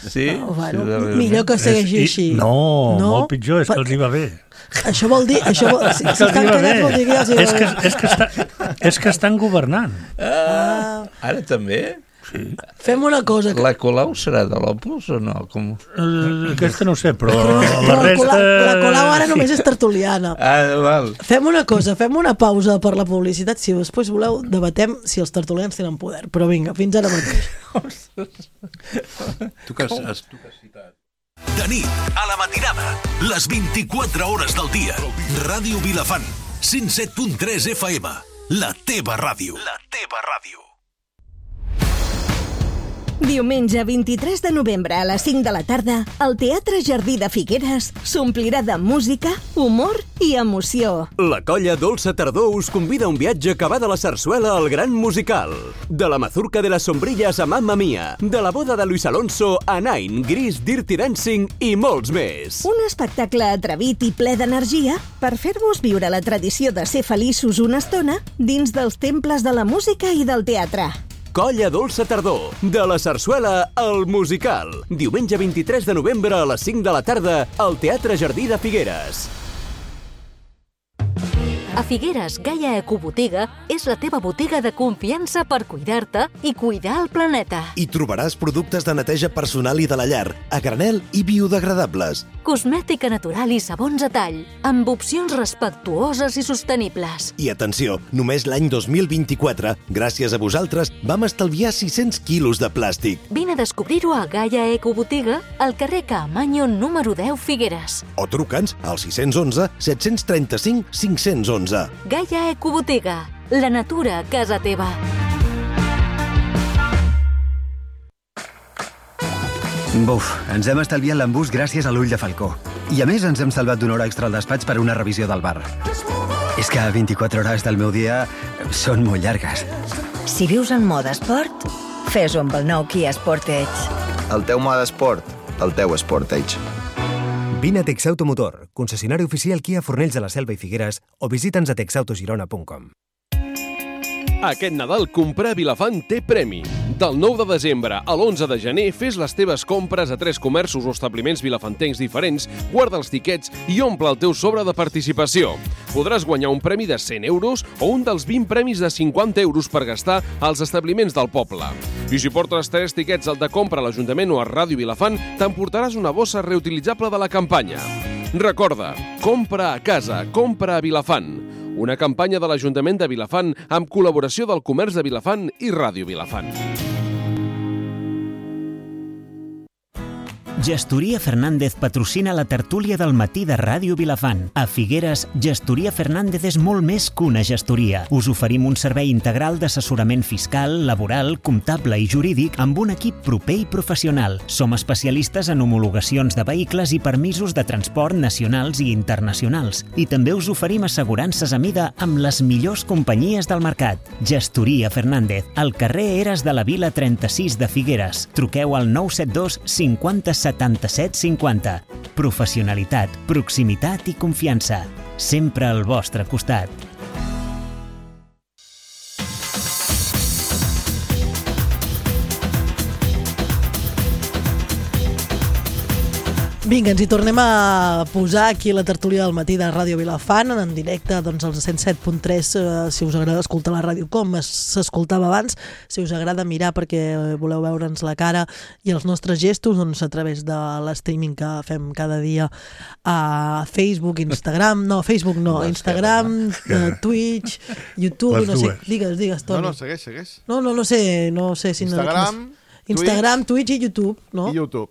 Sí? Oh, bueno, sí, de- millor que segueixi I- així. No, No? molt pitjor, és que Per- els hi va bé. Això vol dir... Això vol, si, si És que els estan hi va callats bé. vol dir que ja els hi va És que, bé. és, que està, és que estan governant. Ah, ara també? Fem una cosa. Que... La Colau serà de l'Opus o no? Com... Eh, Aquesta no ho sé, però Però la la, resta... Colau, la Colau ara només és tertuliana. Ah, val. Fem una cosa, fem una pausa per la publicitat. Si després voleu, debatem si els tertulians tenen poder. Però vinga, fins ara mateix. Tu que has, has, tu que has citat. De nit, a la matinada, les vint-i-quatre hores del dia. Ràdio Vilafant, cent set punt tres F M. La teva ràdio. La teva ràdio. Diumenge vint-i-tres de novembre a les cinc de la tarda, el Teatre Jardí de Figueres s'omplirà de música, humor i emoció. La colla Dolça Tardor us convida a un viatge que va de la sarsuela al gran musical. De la mazurca de las sombrillas a Mamma Mia, de la boda de Luis Alonso a Nine, Gris, Dirty Dancing i molts més. Un espectacle atrevit i ple d'energia per fer-vos viure la tradició de ser feliços una estona dins dels temples de la música i del teatre. Colla Dolça Tardor, de la sarsuela al musical. Diumenge vint-i-tres de novembre a les cinc de la tarda al Teatre Jardí de Figueres. A Figueres, Gaia Ecobotiga és la teva botiga de confiança per cuidar-te i cuidar el planeta. Hi trobaràs productes de neteja personal i de la llar, a granel i biodegradables. Cosmètica natural i sabons a tall, amb opcions respectuoses i sostenibles. I atenció, només l'any dos mil vint-i-quatre, gràcies a vosaltres, vam estalviar sis-cents quilos de plàstic. Vine a descobrir-ho a Gaia Ecobotiga, al carrer Caamaño número deu Figueres. O truca'ns al sis cents onze set cents trenta-cinc cinc cents onze. Gaia Ecobotiga, la natura a casa teva. Buf, ens hem estalviat l'embús gràcies a l'ull de falcó. I a més ens hem salvat d'una hora extra al despatx per una revisió del bar. És que vint-i-quatre hores del meu dia són molt llargues. Si vius en mode esport, fes-ho amb el nou Kia Sportage. El teu mode esport, el teu Sportage. Vine a Texauto Motor, concessionari oficial Kia Fornells de la Selva i Figueres, o visita'ns a texautogirona punt com. Aquest Nadal comprar a Vilafant té premi. Del nou de desembre a l'onze de gener fes les teves compres a tres comerços o establiments vilafantencs diferents, guarda els tiquets i omple el teu sobre de participació. Podràs guanyar un premi de cent euros o un dels vint premis de cinquanta euros per gastar als establiments del poble. I si portes tres tiquets al de compra a l'Ajuntament o a Ràdio Vilafant, t'emportaràs una bossa reutilitzable de la campanya. Recorda, compra a casa, compra a Vilafant. Una campanya de l'Ajuntament de Vilafant amb col·laboració del Comerç de Vilafant i Ràdio Vilafant. Gestoria Fernández patrocina la tertúlia del matí de Ràdio Vilafant. A Figueres, Gestoria Fernández és molt més que una gestoria. Us oferim un servei integral d'assessorament fiscal, laboral, comptable i jurídic amb un equip proper i professional. Som especialistes en homologacions de vehicles i permisos de transport nacionals i internacionals. I també us oferim assegurances a mida amb les millors companyies del mercat. Gestoria Fernández, al carrer Eres de la Vila trenta-sis de Figueres. Truqueu al nou set dos cinquanta setanta-set cinquanta. Professionalitat, proximitat i confiança. Sempre al vostre costat. Vinga, ens hi tornem a posar aquí a la tertúlia del matí de Ràdio Vilafant, en directe doncs, als cent set punt tres, eh, si us agrada escoltar la ràdio com s'escoltava abans, si us agrada mirar perquè voleu veure'ns la cara i els nostres gestos, doncs a través de l'streaming que fem cada dia a Facebook, Instagram, no, Facebook no, Instagram, eh, Twitch, YouTube, Les no sé, dues. digues, digues, Toni. No, no, segueix, segueix. No, no, no sé, no sé si... Instagram, no, Instagram, Twitch, Twitch i YouTube, no? I YouTube.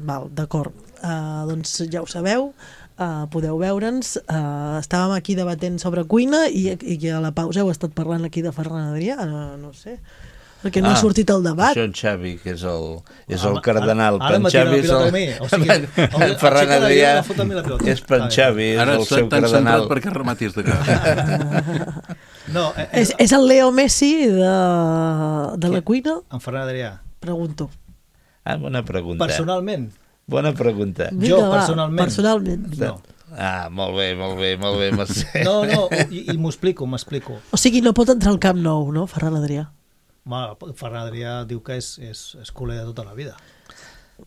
Val, d'acord. Uh, doncs ja ho sabeu, uh, podeu veure'ns. Uh, estàvem aquí debatent sobre cuina i, i a la pausa heu estat parlant aquí de Ferran Adrià, no, no sé, perquè no Ah, ha sortit el debat. Això en Xavi, que és el, és Ah, el cardenal. ara Per m'ha en tirat Xavi la és pilota el... a mi, o sigui, el- en Ferran el Adrià Xavi m'ha fotut a mi la pilota. és per en Xavi, és Ara el està seu tan cardenal. centrat perquè rematis de cap. No, eh, És, és el Leo Messi de, de la cuina? En Ferran Adrià. Pregunto. Ah, bona pregunta. Personalment? Bona pregunta. Vinga, jo, va, personalment. personalment. No. Ah, molt bé, molt bé, molt bé, Mercè. No, no, i, i m'ho explico, m'explico. O sigui, no pot entrar al Camp Nou, no, Ferran Adrià? Home, Ferran Adrià diu que és, és, és culer de tota la vida.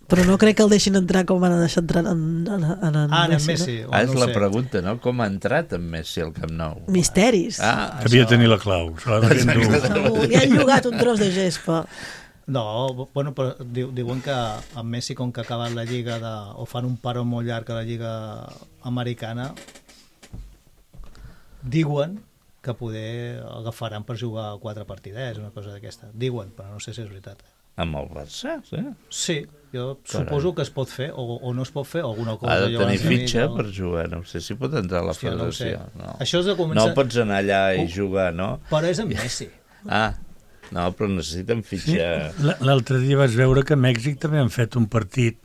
Però no crec que el deixin entrar com van deixar entrar en, en, en, en Ah, en Messi. Messi. No? Ah, és no la sé. pregunta, no? Com ha entrat en Messi al Camp Nou? Misteris. Ah, Devia tenir la clau. Se l'ha de endur. Segur, li han llogat un tros de gespa. No, bueno, però diu, diuen que en Messi, com que ha acabat la lliga de, o fan un paró molt llarg a la lliga americana, diuen que poder agafaran per jugar quatre partidets, una cosa d'aquesta. Diuen, però no sé si és veritat. Amb el Barça, sí? Sí, jo Carai. suposo que es pot fer, o, o no es pot fer, o alguna cosa. Ha de jo tenir abans de fitxa mi, per jugar, no sé si pot entrar a la Hòstia, no ho sé. federació. No. Això és de començar- No pots anar allà i jugar, no? Però és en Messi. Ah, no, però necessiten Sí. fitxa... L- L'altre dia vaig veure que a Mèxic també han fet un partit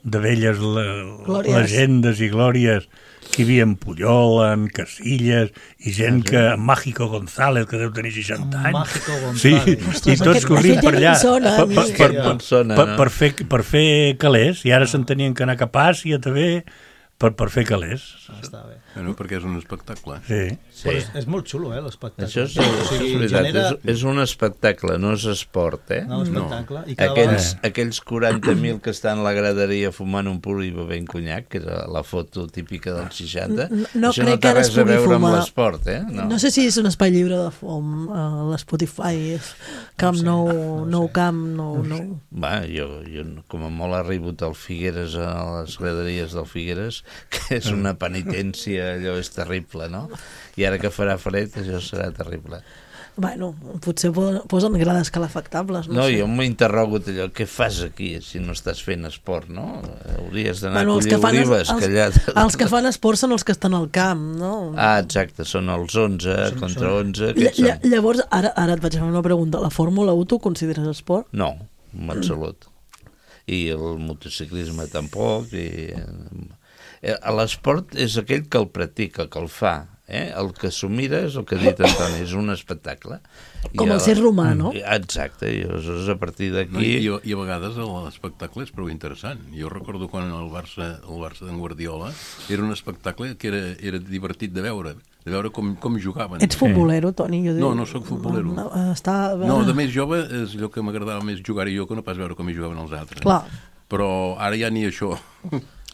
de velles le Glòries. legendes i glòries que hi havia en Puyol, en Casillas i gent Ah, sí? que... Mágico González, que deu tenir seixanta anys. Mágico Sí, González. i Ostres, tots aquest- corrint aquest per ja allà em sona, per, a mi. per, per, Ja em sona, per, no? per, fer, per fer calés, i ara se'n tenien que anar cap a Àsia també per, per fer calés. Ah, està bé. Bueno, perquè és un espectacle. Sí. Sí. Però és, és molt xulo, eh, l'espectacle. Això és, O això sigui, és veritat, genera- és, és un espectacle, no és esport, eh? No, espectacle. I cada Aquells, vegada- aquells quaranta mil que estan a la graderia fumant un pur i bevent conyac, que era la foto típica dels seixanta, No, no això crec no que té ara es res a pugui veure amb fumar. l'esport, eh? No. no sé si és un espai lliure de fum, a l'Spotify, Camp sé, Nou, no ho Nou sé. Camp, Nou, Nou. Va, jo, jo com a molt ha arribat al Figueres, a les graderies del Figueres, que és una penitència, allò és terrible, no? I ara que farà fred, això serà terrible. Bueno, potser po- posen grades calefactables, no, No, sé. jo m'he interrogat allò, què fas aquí si no estàs fent esport, no? Hauries d'anar Bueno, a els collir que fan, olives, els, que allà... els que fan esport són els que estan al camp, no? Ah, exacte, són els onze Són- contra són- onze, Lla- aquests lla- són... llavors, ara, ara et vaig fer una pregunta. La Fórmula u tu consideres esport? No, en absolut. I el motociclisme tampoc. I... eh, L'esport és aquell que el practica, que el fa. Eh? El que s'ho mira és el que ha dit Antoni, és un espectacle. Com I el ser romà, no? I- Exacte, i aleshores a partir No, d'aquí... i, I a vegades l'espectacle és prou interessant. Jo recordo quan el Barça, el Barça d'en Guardiola era un espectacle que era, era divertit de veure, de veure com, com jugaven. Ets futbolero, Toni? Jo No, no sóc futbolero. No, està... No, de més jove és allò que m'agradava més jugar-hi jo que no pas veure com hi jugaven els altres. Clar. Però ara ja ni això.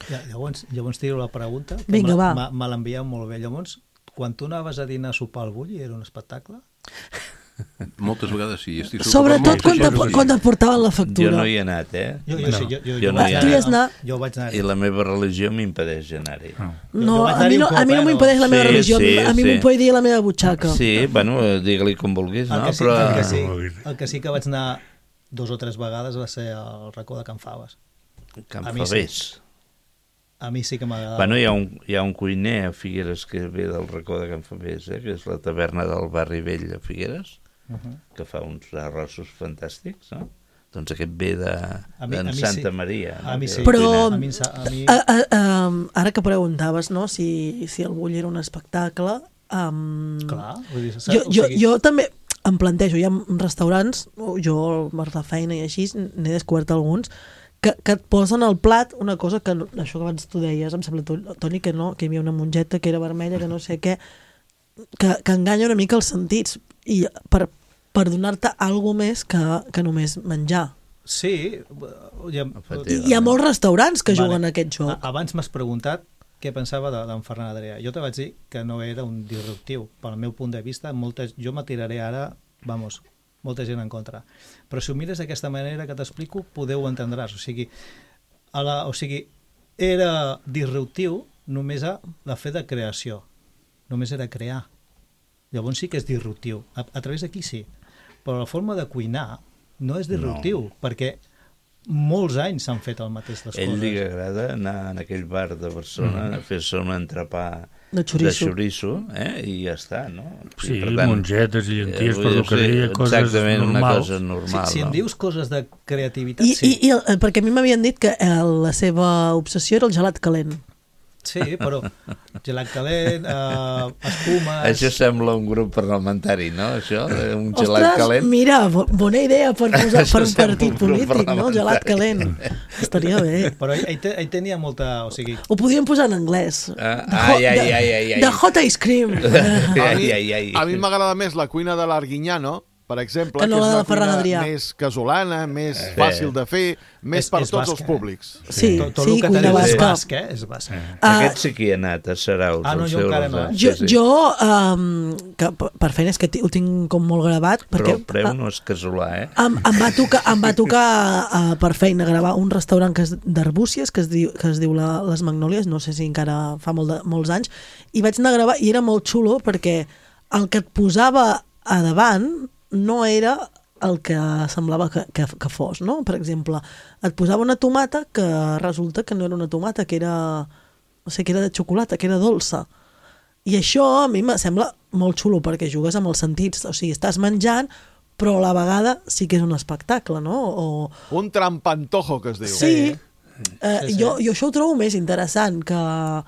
Ja, llavors, llavors tiro la pregunta, que Vinga, me, va. me, me l'envieu molt bé. Llavors, quan tu anaves a dinar a sopar al Bulli, era un espectacle? Moltes vegades sí. Estic segur que Sobretot molta quan gent te, sí. quan et portaven la factura. Jo no hi he anat, eh? Jo, jo, sí, jo, jo, jo no hi he Tu hi has anat. anat? Jo vaig anar. I la meva religió m'impedeix anar-hi. No, Jo vaig a anar-hi mi un no, cop, a mi no eh, m'impedeix la meva Sí, religió, sí, a mi sí. m'impedeix la meva butxaca. Sí, bueno, eh, digue-li com vulguis, El no? que, sí, Però... el, que sí, el que sí que vaig anar dos o tres vegades va ser al racó de Can Faves. Can A mi sí. Favés. A mi sí que m'agradava. Bueno, hi ha, un, hi ha un cuiner a Figueres que ve del racó de Can Favés, eh? Que és la taverna del barri vell a Figueres, Uh -huh. que fa uns arrossos fantàstics, no? Doncs aquest ve de, A mi- d'en a mi Santa sí. Maria. No? A mi Que sí. és el Però, cuiner. A mi em sa- a mi- a, a, um, ara que preguntaves no, si, si el Bull era un espectacle, um, Clar, vull dir, jo, o jo, sigui- jo també em plantejo, hi ha restaurants, jo per la feina i així, n'he descobert alguns, que, que et posen al plat una cosa que, no- això que abans tu deies, em sembla, Toni, que no, que hi havia una mongeta que era vermella, que no sé què, que, que enganya una mica els sentits, i per, per donar-te alguna més que, que només menjar. Sí. Hi ha, hi ha molts restaurants que juguen vale. a aquest joc. Abans m'has preguntat què pensava d'en Ferran Adrià. Jo te vaig dir que no era un disruptiu. Pel meu punt de vista, moltes, jo m'atiraré ara, vamos, molta gent en contra. Però si ho mires d'aquesta manera que t'explico, podeu entendràs. O sigui, a la, o sigui, era disruptiu només a la fe de creació. Només era crear. Llavors sí que és disruptiu. A, a través d'aquí sí. Però la forma de cuinar no és disruptiu, no. perquè molts anys s'han fet el mateix les Ell coses. Ell li agrada anar en aquell bar de Barcelona mm. a fer-se un entrepà de xoriço, de xoriço eh? I ja està, no? Sí, per tant, mongetes i llenties, per lo que deia, coses exactament, normals. Una cosa normal. Si, si no? em dius coses de creativitat, I, sí. I, i, perquè a mi m'havien dit que la seva obsessió era el gelat calent. Sí, però gelat calent, uh, espumes... Això sembla un grup parlamentari, no? Això, un Ostres, gelat calent. Mira, bona idea per posar per un partit polític, no? Gelat calent. Estaria bé. Però ell, ell, ell tenia molta... O sigui... Ho podríem posar en anglès. Ah, ai, ai, ai, ai, ai. De hot ice cream. ai, ai, ai. A mi m'agrada més la cuina de l'Arguinyano, per exemple, que, no que és una cuina Adrià. més casolana, més eh. fàcil de fer, més és, per és tots basca, els públics. Sí, sí, tot, tot sí, el que cuina basca. basca. És basc, eh? És basc. Eh. Uh, Aquest sí que hi ha anat, a Saraus. Ah, no, jo encara no. Jo, sí, sí. jo um, que per feina és que ho tinc com molt gravat. Perquè, però el preu no és casolà, eh? Em, em va tocar, em va tocar uh, per feina gravar un restaurant que és d'Arbúcies, que es diu, que es diu la, Les Magnòlies, no sé si encara fa molt de, molts anys, i vaig anar a gravar i era molt xulo perquè el que et posava a davant no era el que semblava que, que, que fos, no? Per exemple, et posava una tomata que resulta que no era una tomata, que era, no sé, que era de xocolata, que era dolça. I això a mi me sembla molt xulo perquè jugues amb els sentits, o sigui, estàs menjant, però a la vegada sí que és un espectacle, no? O... Un trampantojo, que es diu. Sí. Uh, sí, sí. Jo, jo això ho trobo més interessant que...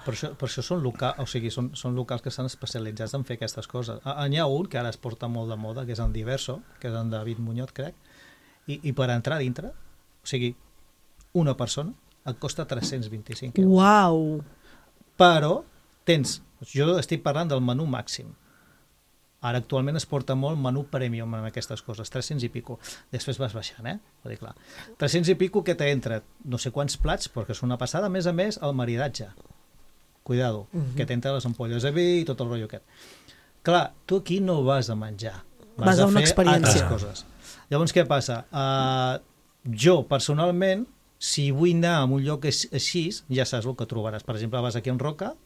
Per això, per això són, local, o sigui, són, són locals que estan especialitzats en fer aquestes coses. N'hi ha un que ara es porta molt de moda, que és en Diverso, que és en David Muñoz, crec, i, i per entrar dintre, o sigui, una persona et costa tres-cents vint-i-cinc euros. Uau! Però tens, jo estic parlant del menú màxim. Ara actualment es porta molt menú premium en aquestes coses, tres-cents i pico. Després vas baixant, eh? Vull dir, clar. tres-cents i pico que t'entra no sé quants plats, perquè és una passada, a més a més, el maridatge. Cuidado, uh-huh. que t'entra les ampolles de vi i tot el rotllo aquest. Clar, tu aquí no vas a menjar. Vas, vas a, a una fer experiència. altres coses. Llavors, què passa? Uh, jo, personalment, si vull anar a un lloc així, ja saps el que trobaràs. Per exemple, vas aquí en Roca,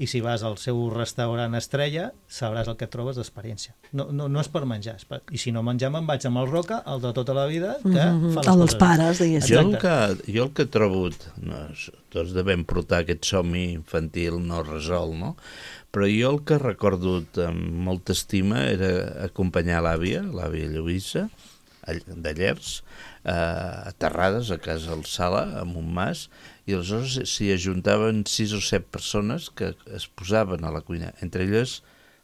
i si vas al seu restaurant estrella sabràs el que trobes d'experiència. No, no, no és per menjar, és per... i si no menjar me'n vaig amb el Roca, el de tota la vida, que mm-hmm. fa les el coses. dels pares, diguéssim. Jo el que, jo el que he trobat, no, tots devem portar aquest somni infantil no resolt, no? Però jo el que he recordut amb molta estima era acompanyar l'àvia, l'àvia Lluïsa, de Llers, a Terrades, a casa al Sala, amb un mas, i aleshores s'hi ajuntaven sis o set persones que es posaven a la cuina, entre elles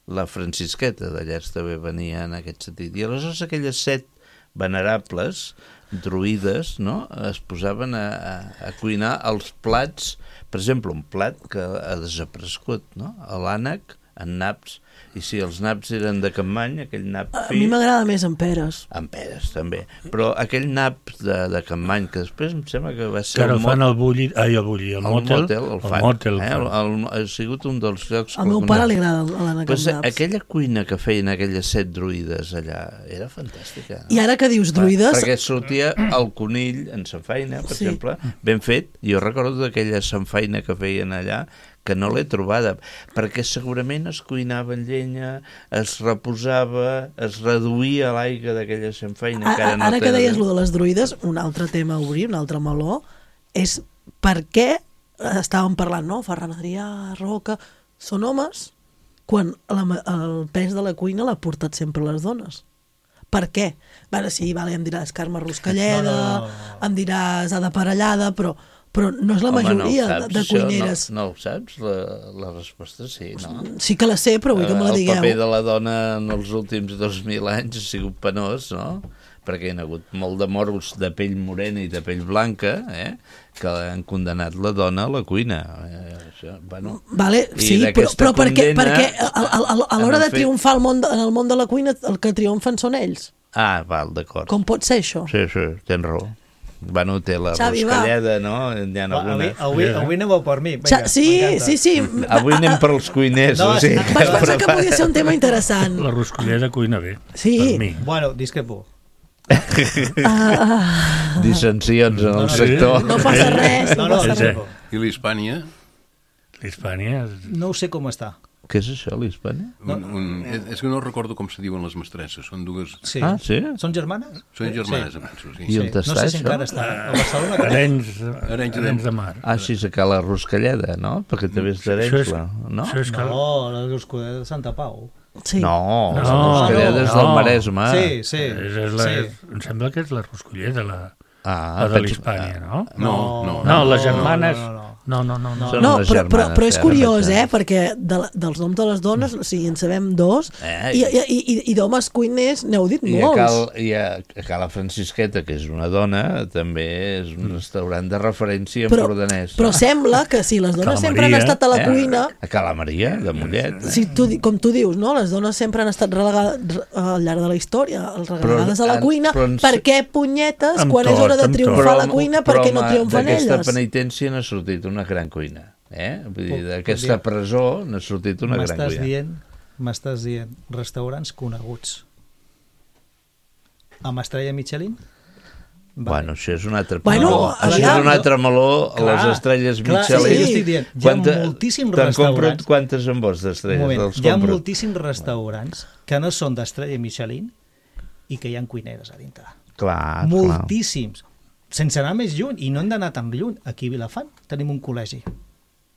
la Francisqueta de Llers també venia en aquest sentit, i aleshores aquelles set venerables druides, no?, es posaven a, a, a cuinar els plats, per exemple, un plat que ha desaparegut, no?, l'ànec en naps, i si els naps eren de Capmany, aquell nap fi... A mi m'agrada més amb peres. Amb peres, també. Però aquell nap de, de Capmany, que després em sembla que va ser... Que ara el fan al bulli, ai, el bulli, el, el motel, motel, el fan. El motel, eh? el, el, ha sigut un dels llocs... Al meu pare li agrada l'ànec pues, amb naps. Aquella cuina que feien aquelles set druides allà era fantàstica. No? I ara que dius druides... Per, perquè sortia el conill en samfaina, per sí. exemple, ben fet. Jo recordo d'aquella samfaina que feien allà, que no l'he trobada, perquè segurament es cuinava en llenya, es reposava, es reduïa l'aigua d'aquella samfaina. Ara, no ara que deies de... lo de les druides, un altre tema a obrir, un altre meló, és per què estàvem parlant, no? Ferran Adrià, Roca, són homes quan la, el pes de la cuina l'ha portat sempre les dones. Per què? Bueno, sí, vale, em diràs Carme Ruscalleda, no, no, no. em diràs Ada Parellada, però però no és la Home, majoria no saps, de cuineres. No, no ho saps? La, la resposta sí, no? Sí que la sé, però vull que me la digueu. El paper de la dona en els últims dos mil anys ha sigut penós, no? Perquè hi ha hagut molt de moros de pell morena i de pell blanca, eh? Que han condemnat la dona a la cuina. Eh, això, bueno, vale, sí, però, però perquè, perquè a, a, a, a l'hora de triomfar al món, en el món de la cuina, el que triomfen són ells. Ah, val, d'acord. Com pot ser això? Sí, sí, tens raó. Bueno, té la Xavi, roscalleda, no? Hi ha Va, algunes... avui, avui, avui aneu per mi. Xa- Vinga, sí, m'encanta. sí, sí. Avui anem per als cuiners. No, o sigui, Vaig pensar que podia ser un tema interessant. La roscolleda cuina bé. Sí. Per mi. Bueno, discrepo. Ah, dissensions en el No, no, sector. no passa res, no, No, no, passa res. discrepo. I l'Hispània? L'Hispània... No ho sé com està. Què és això, l'Hispània? Un, un, és, és que no recordo com se diuen les mestresses. Són dues... Sí. Ah, sí? Són germanes? Són germanes, Sí. em penso, sí. I on no està sé si això? encara està. A Barcelona. crec. Arenys, Arenys de- Arenys de Mar. Ah, sí, és que la roscalleda, no? Perquè també és d'Arenys, és- no? això és que... No, la Roscudera de Santa Pau. Sí. No, No, la roscalleda és del no. Maresme. Sí, sí. És, és la, sí. Em sembla que és la roscolleda, la, Ah, la de penso- l'Hispània, no? No, no. No, les no, germanes... no, no, No, no, no. no. Són No, les però, però, germanes, però és sí, curiós, ara eh? mateix. Perquè de, la- dels noms de les dones, o sigui, en sabem dos, Eh, i, i, i, i d'homes cuiners n'heu dit I a molts. Cal, i a, a Cala Francisqueta, que és una dona, també és un restaurant de referència Però, empordanès. però sembla que si les dones Cala sempre han Maria, estat a la Eh? cuina, A Cala Maria, de Mollet. si tu, di- com tu dius, no? Les dones sempre han estat relegades re- al llarg de la història, relegades a la en- cuina, però en- per què punyetes, Amb quan és tot, hora de amb triomfar tot. a la cuina, per què no home, triomfen d'aquesta elles? penitència n'ha sortit una gran cuina. Eh? Vull dir, Puc- d'aquesta puc dir- presó n'ha sortit una gran M'estàs cuina. dient, m'estàs dient restaurants coneguts amb estrella Michelin? Bueno, això és un altre Bueno, meló. Això és aviam. un altre meló, Clar, les estrelles clar, Michelin. sí, jo estic dient, hi ha moltíssims Te'n compro restaurants. quantes en vols Un d'estrelles? moment, Els hi ha compro. moltíssims restaurants que no són d'estrella Michelin i que hi ha cuineres a dintre. Clar, clar. Moltíssims. Sense anar més lluny, i no hem d'anar tan lluny. Aquí a Vilafant tenim un col·legi.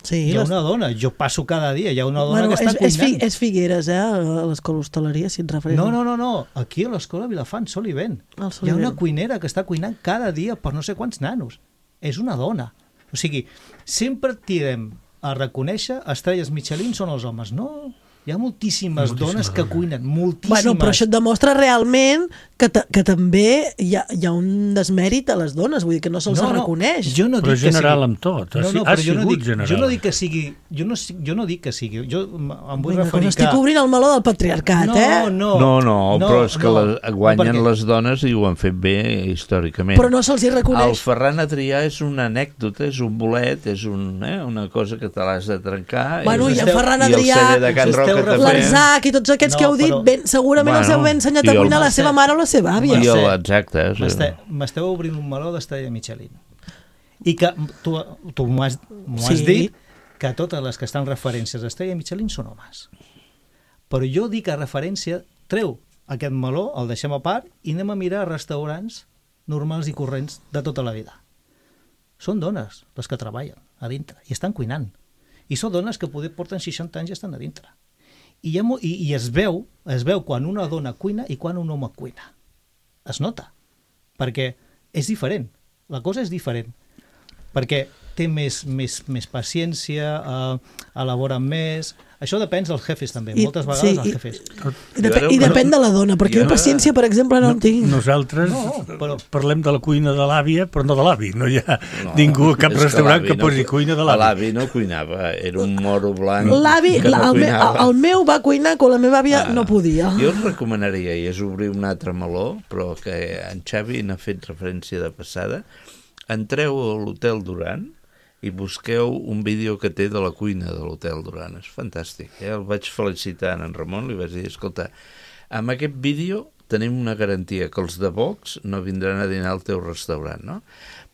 Sí, Hi ha les- una dona, jo passo cada dia, hi ha una dona bueno, que està és, és, fi, cuinant. és Figueres, eh? A l'escola hostaleria, si et refereixes. No, no, no, no, aquí a l'escola Vilafant, sol i vent. Al Hi ha Solivent. una cuinera que està cuinant cada dia per no sé quants nanos. És una dona. O sigui, sempre tirem a reconèixer estrelles Michelin són els homes. No, hi ha moltíssimes, Moltíssimes dones que dones. cuinen, moltíssimes. Bueno, però això et demostra realment que, ta, que també hi ha, hi ha un desmèrit a les dones, vull dir que no se'ls No, no, reconeix. Jo no Però dic que general sigui... amb tot, ha No, si- no, ha però jo no, sigut dic, general. jo no dic que sigui... Jo no, jo no dic que sigui... Jo em em vull Vinga, referir que que... estic obrint el meló del patriarcat, no, eh? no, No, no, però és que no, les, guanyen perquè- les dones i ho han fet bé històricament. Però no se'ls hi reconeix. El Ferran Adrià és una anècdota, és un bolet, és un, eh, una cosa que te l'has de trencar. Bueno, i en esteu- Ferran I el Adrià, celler de Can us esteu Roca també. l'Arzac i tots aquests No, que heu dit, però- ben, segurament els Bueno, heu ensenyat i a el- cuinar la seva mare o la seva àvia. I Mercè, el, exacte. Sí. M'este- M'esteu obrint un meló d'estrella Michelin. I que tu, tu m'ho has, m'ho has Sí. dit que totes les que estan referències a estrella Michelin són homes. Però jo dic a referència, treu aquest meló, el deixem a part i anem a mirar restaurants normals i corrents de tota la vida. Són dones les que treballen a dintre i estan cuinant. I són dones que poder porten seixanta anys i estan a dintre. I, hi ha, mo- i, i es veu es veu quan una dona cuina i quan un home cuina. Es nota. Perquè és diferent. La cosa és diferent. Perquè té més, més, més paciència, eh, elaboren més... Això depèn dels jefes també, I- moltes vegades sí, els i- jefes. I, dep I depèn de la dona, perquè jo paciència, per exemple, no en tinc. Nosaltres No, però- parlem de la cuina de l'àvia, però no de l'avi. No hi ha ningú, cap és restaurant que, l'avi no posi cu- cuina de l'avi. L'avi no cuinava, era un moro blanc L'avi, que no la- el, me, cuinava. el meu va cuinar quan la meva àvia Ah. no podia. Jo us recomanaria, i és obrir un altre meló, però que en Xavi n'ha fet referència de passada, entreu a l'Hotel Duran i busqueu un vídeo que té de la cuina de l'Hotel Duran. És fantàstic. Eh? El vaig felicitar en Ramon, li vaig dir, escolta, amb aquest vídeo tenim una garantia que els de Vox no vindran a dinar al teu restaurant, no?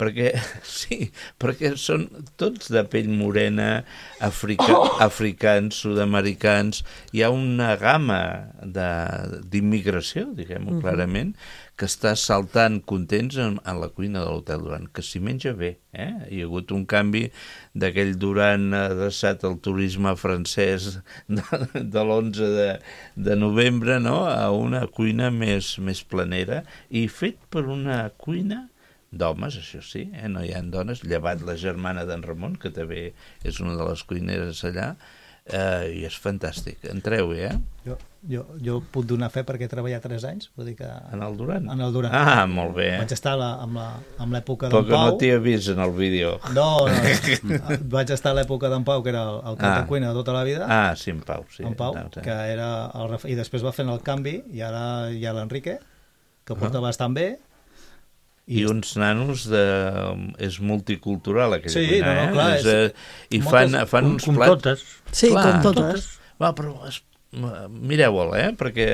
Perquè, sí, perquè són tots de pell morena, africa, africans, sud-americans, hi ha una gamma de- d'immigració, diguem-ho Mhm. clarament, que està saltant contents en, en la cuina de l'Hotel Duran, que s'hi menja bé. Eh? Hi ha hagut un canvi d'aquell Duran adreçat al turisme francès de, de l'onze de, de novembre, no?, a una cuina més, més planera i fet per una cuina d'homes, això sí, eh? No hi ha dones, llevat la germana d'en Ramon, que també és una de les cuineres allà, eh, i és fantàstic. Entreu-hi, eh? Jo, jo, jo puc donar fe perquè he treballat tres anys, vull dir que... En el Duran? En el Duran. Ah, molt bé. Vaig estar a la, amb la- amb l'època Però d'en que Pau. no t'hi he vist en el vídeo. No, no. Vaig estar a l'època d'en Pau, que era el, el cap Ah. de cuina de tota la vida. Ah, sí, en Pau, sí. En Pau, No, sí. que era... El, ref- I després va fent el canvi, i ara hi ha l'Enrique, que porta bastant bé. I uns nanos de... és multicultural, aquella sí, cuina, no, no, eh? clar, és, és, I fan, moltes, fan com, uns com plats... totes. Sí, clar, com totes. Va, però es, mireu-ho, eh? Perquè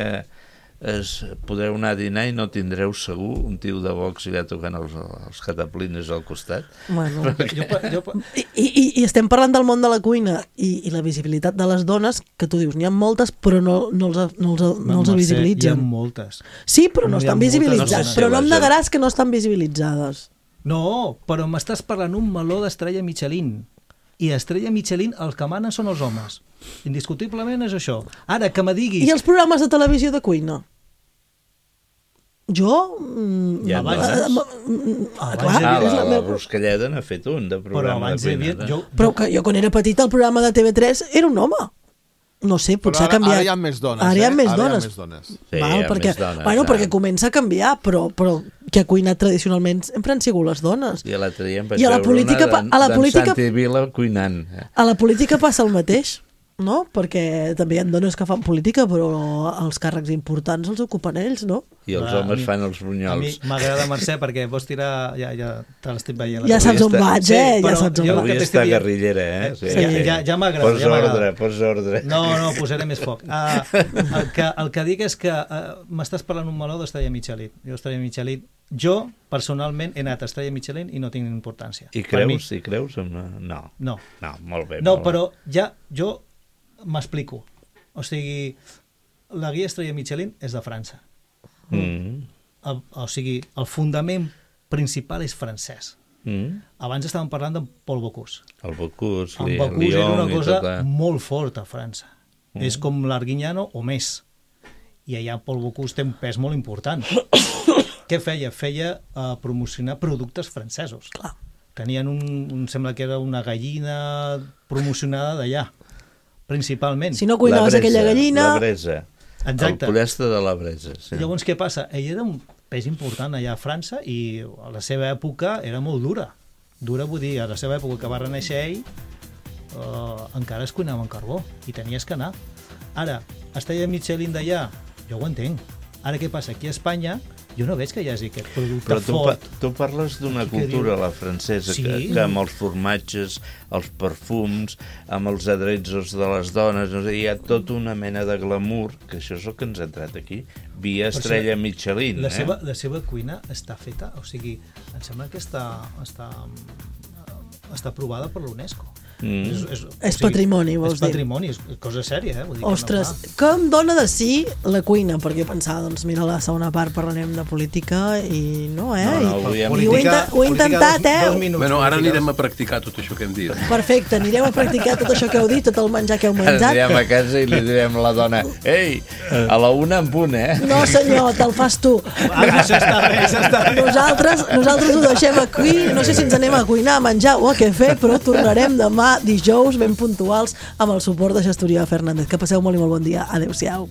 es, podreu anar a dinar i no tindreu segur un tio de Vox allà tocant els, els cataplines al costat. Bueno, perquè... jo, jo... I, i, I estem parlant del món de la cuina i, i la visibilitat de les dones, que tu dius, n'hi ha moltes, però no, no els, no els, no els visibilitzen. Hi ha moltes. Sí, però no, no estan visibilitzades. No però no em negaràs que no estan visibilitzades. No, però m'estàs parlant un meló d'estrella Michelin. I estrella Michelin, els que manen són els homes. Indiscutiblement és això. Ara, que me diguis... I els programes de televisió de cuina? Jo... Ja abans, abans, ah, clar, ah, la, la Ruscalleda n'ha fet un de programa de cuinada. Jo, però que jo quan era petita el programa de T V tres era un home. No sé, potser ara, ha canviat. Ara hi ha més dones, ara hi ha eh? més ara dones. Hi ha més dones. Sí, Val, hi ha perquè, més dones. Bueno, ah. perquè comença a canviar, però, però qui ha cuinat tradicionalment sempre han sigut les dones. I l'altre dia em vaig I a la veure política, una a la política, Santi Vila cuinant. A la política passa el mateix, no? Perquè també hi ha dones que fan política, però els càrrecs importants els ocupen ells, no? I els Va, homes mi, fan els brunyols. A mi m'agrada, Mercè, perquè vols tirar... Ja, ja te l'estic veient. Ja saps on vaig, eh? Sí, ja saps on vaig. Avui està guerrillera, eh? Sí, sí. Ja, ja, ja m'agrada. Pots ja ordre, pots ordre. No, no, posaré més foc. Uh, el, que, el que dic és que uh, m'estàs parlant un meló d'Estrella Michelin. Jo, Estrella Michelin, jo, personalment, he anat a Estrella Michelin i no tinc importància. I creus? I creus? No. No. No, molt bé. No, molt però ja, jo m'explico. O sigui, la guia Estrella Michelin és de França. Mm. El, o sigui, el fundament principal és francès. Mm. Abans estàvem parlant de Paul Bocuse. El Bocuse, el Bocuse era una cosa tota... molt forta a França. Mm. És com l'Arguignano o més. I allà Paul Bocuse té un pes molt important. Què feia? Feia uh, promocionar productes francesos. Clar. Tenien un, un... sembla que era una gallina promocionada d'allà, principalment. Si no cuinaves bresa, aquella gallina... La bresa. Exacte. El pollastre de la bresa. Sí. Llavors, què passa? Ell era un pes important allà a França i a la seva època era molt dura. Dura vull dir, a la seva època que va renéixer ell, eh, encara es cuinava en carbó i tenies que anar. Ara, Estrella Michelin d'allà, jo ho entenc. Ara què passa? Aquí a Espanya jo no veig que hi hagi aquest producte Però tu, fort. pa, tu parles d'una cultura, la francesa, Sí. que, que amb els formatges, els perfums, amb els adreços de les dones, no sé, hi ha tota una mena de glamour, que això és el que ens ha entrat aquí, via Estrella Michelin. La, eh? seva, la seva cuina està feta, o sigui, em sembla que està, està, està aprovada per l'UNESCO. Mm. És, és, és patrimoni, vols és dir? És patrimoni, és cosa sèria, eh? Vull dir Ostres, que, no, que em dona de sí la cuina, perquè pensava, doncs mira, la segona part parlarem de política i no, eh? No, no, I, avui i ho, he intent, ho he intentat, eh? Dos minuts, bueno, ara política. anirem a practicar tot això que hem dit. Perfecte, anirem a practicar tot això que heu dit, tot el menjar que heu menjat. Anirem a casa i li direm a la dona, ei, a la una en punt, eh? No senyor, te'l fas tu. Ah, això està bé, això està bé. Nosaltres, nosaltres ho deixem aquí, no sé si ens anem a cuinar, a menjar o a què fer, però tornarem demà dijous ben puntuals amb el suport de Gestoria Fernández. Que passeu molt i molt bon dia. Adéu-siau.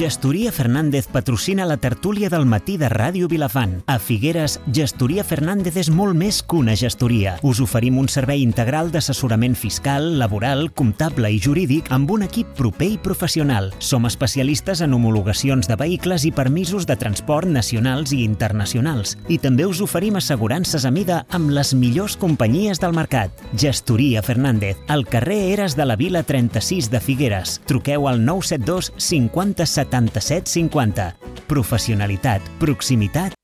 Gestoria Fernández patrocina la tertúlia del matí de Ràdio Vilafant. A Figueres, Gestoria Fernández és molt més que una gestoria. Us oferim un servei integral d'assessorament fiscal, laboral, comptable i jurídic amb un equip proper i professional. Som especialistes en homologacions de vehicles i permisos de transport nacionals i internacionals. I també us oferim assegurances a mida amb les millors companyies del mercat. Gestoria Fernández, al carrer Eres de la Vila trenta-sis de Figueres. Truqueu al nou set dos cinquanta setanta-set cinquanta. Professionalitat, proximitat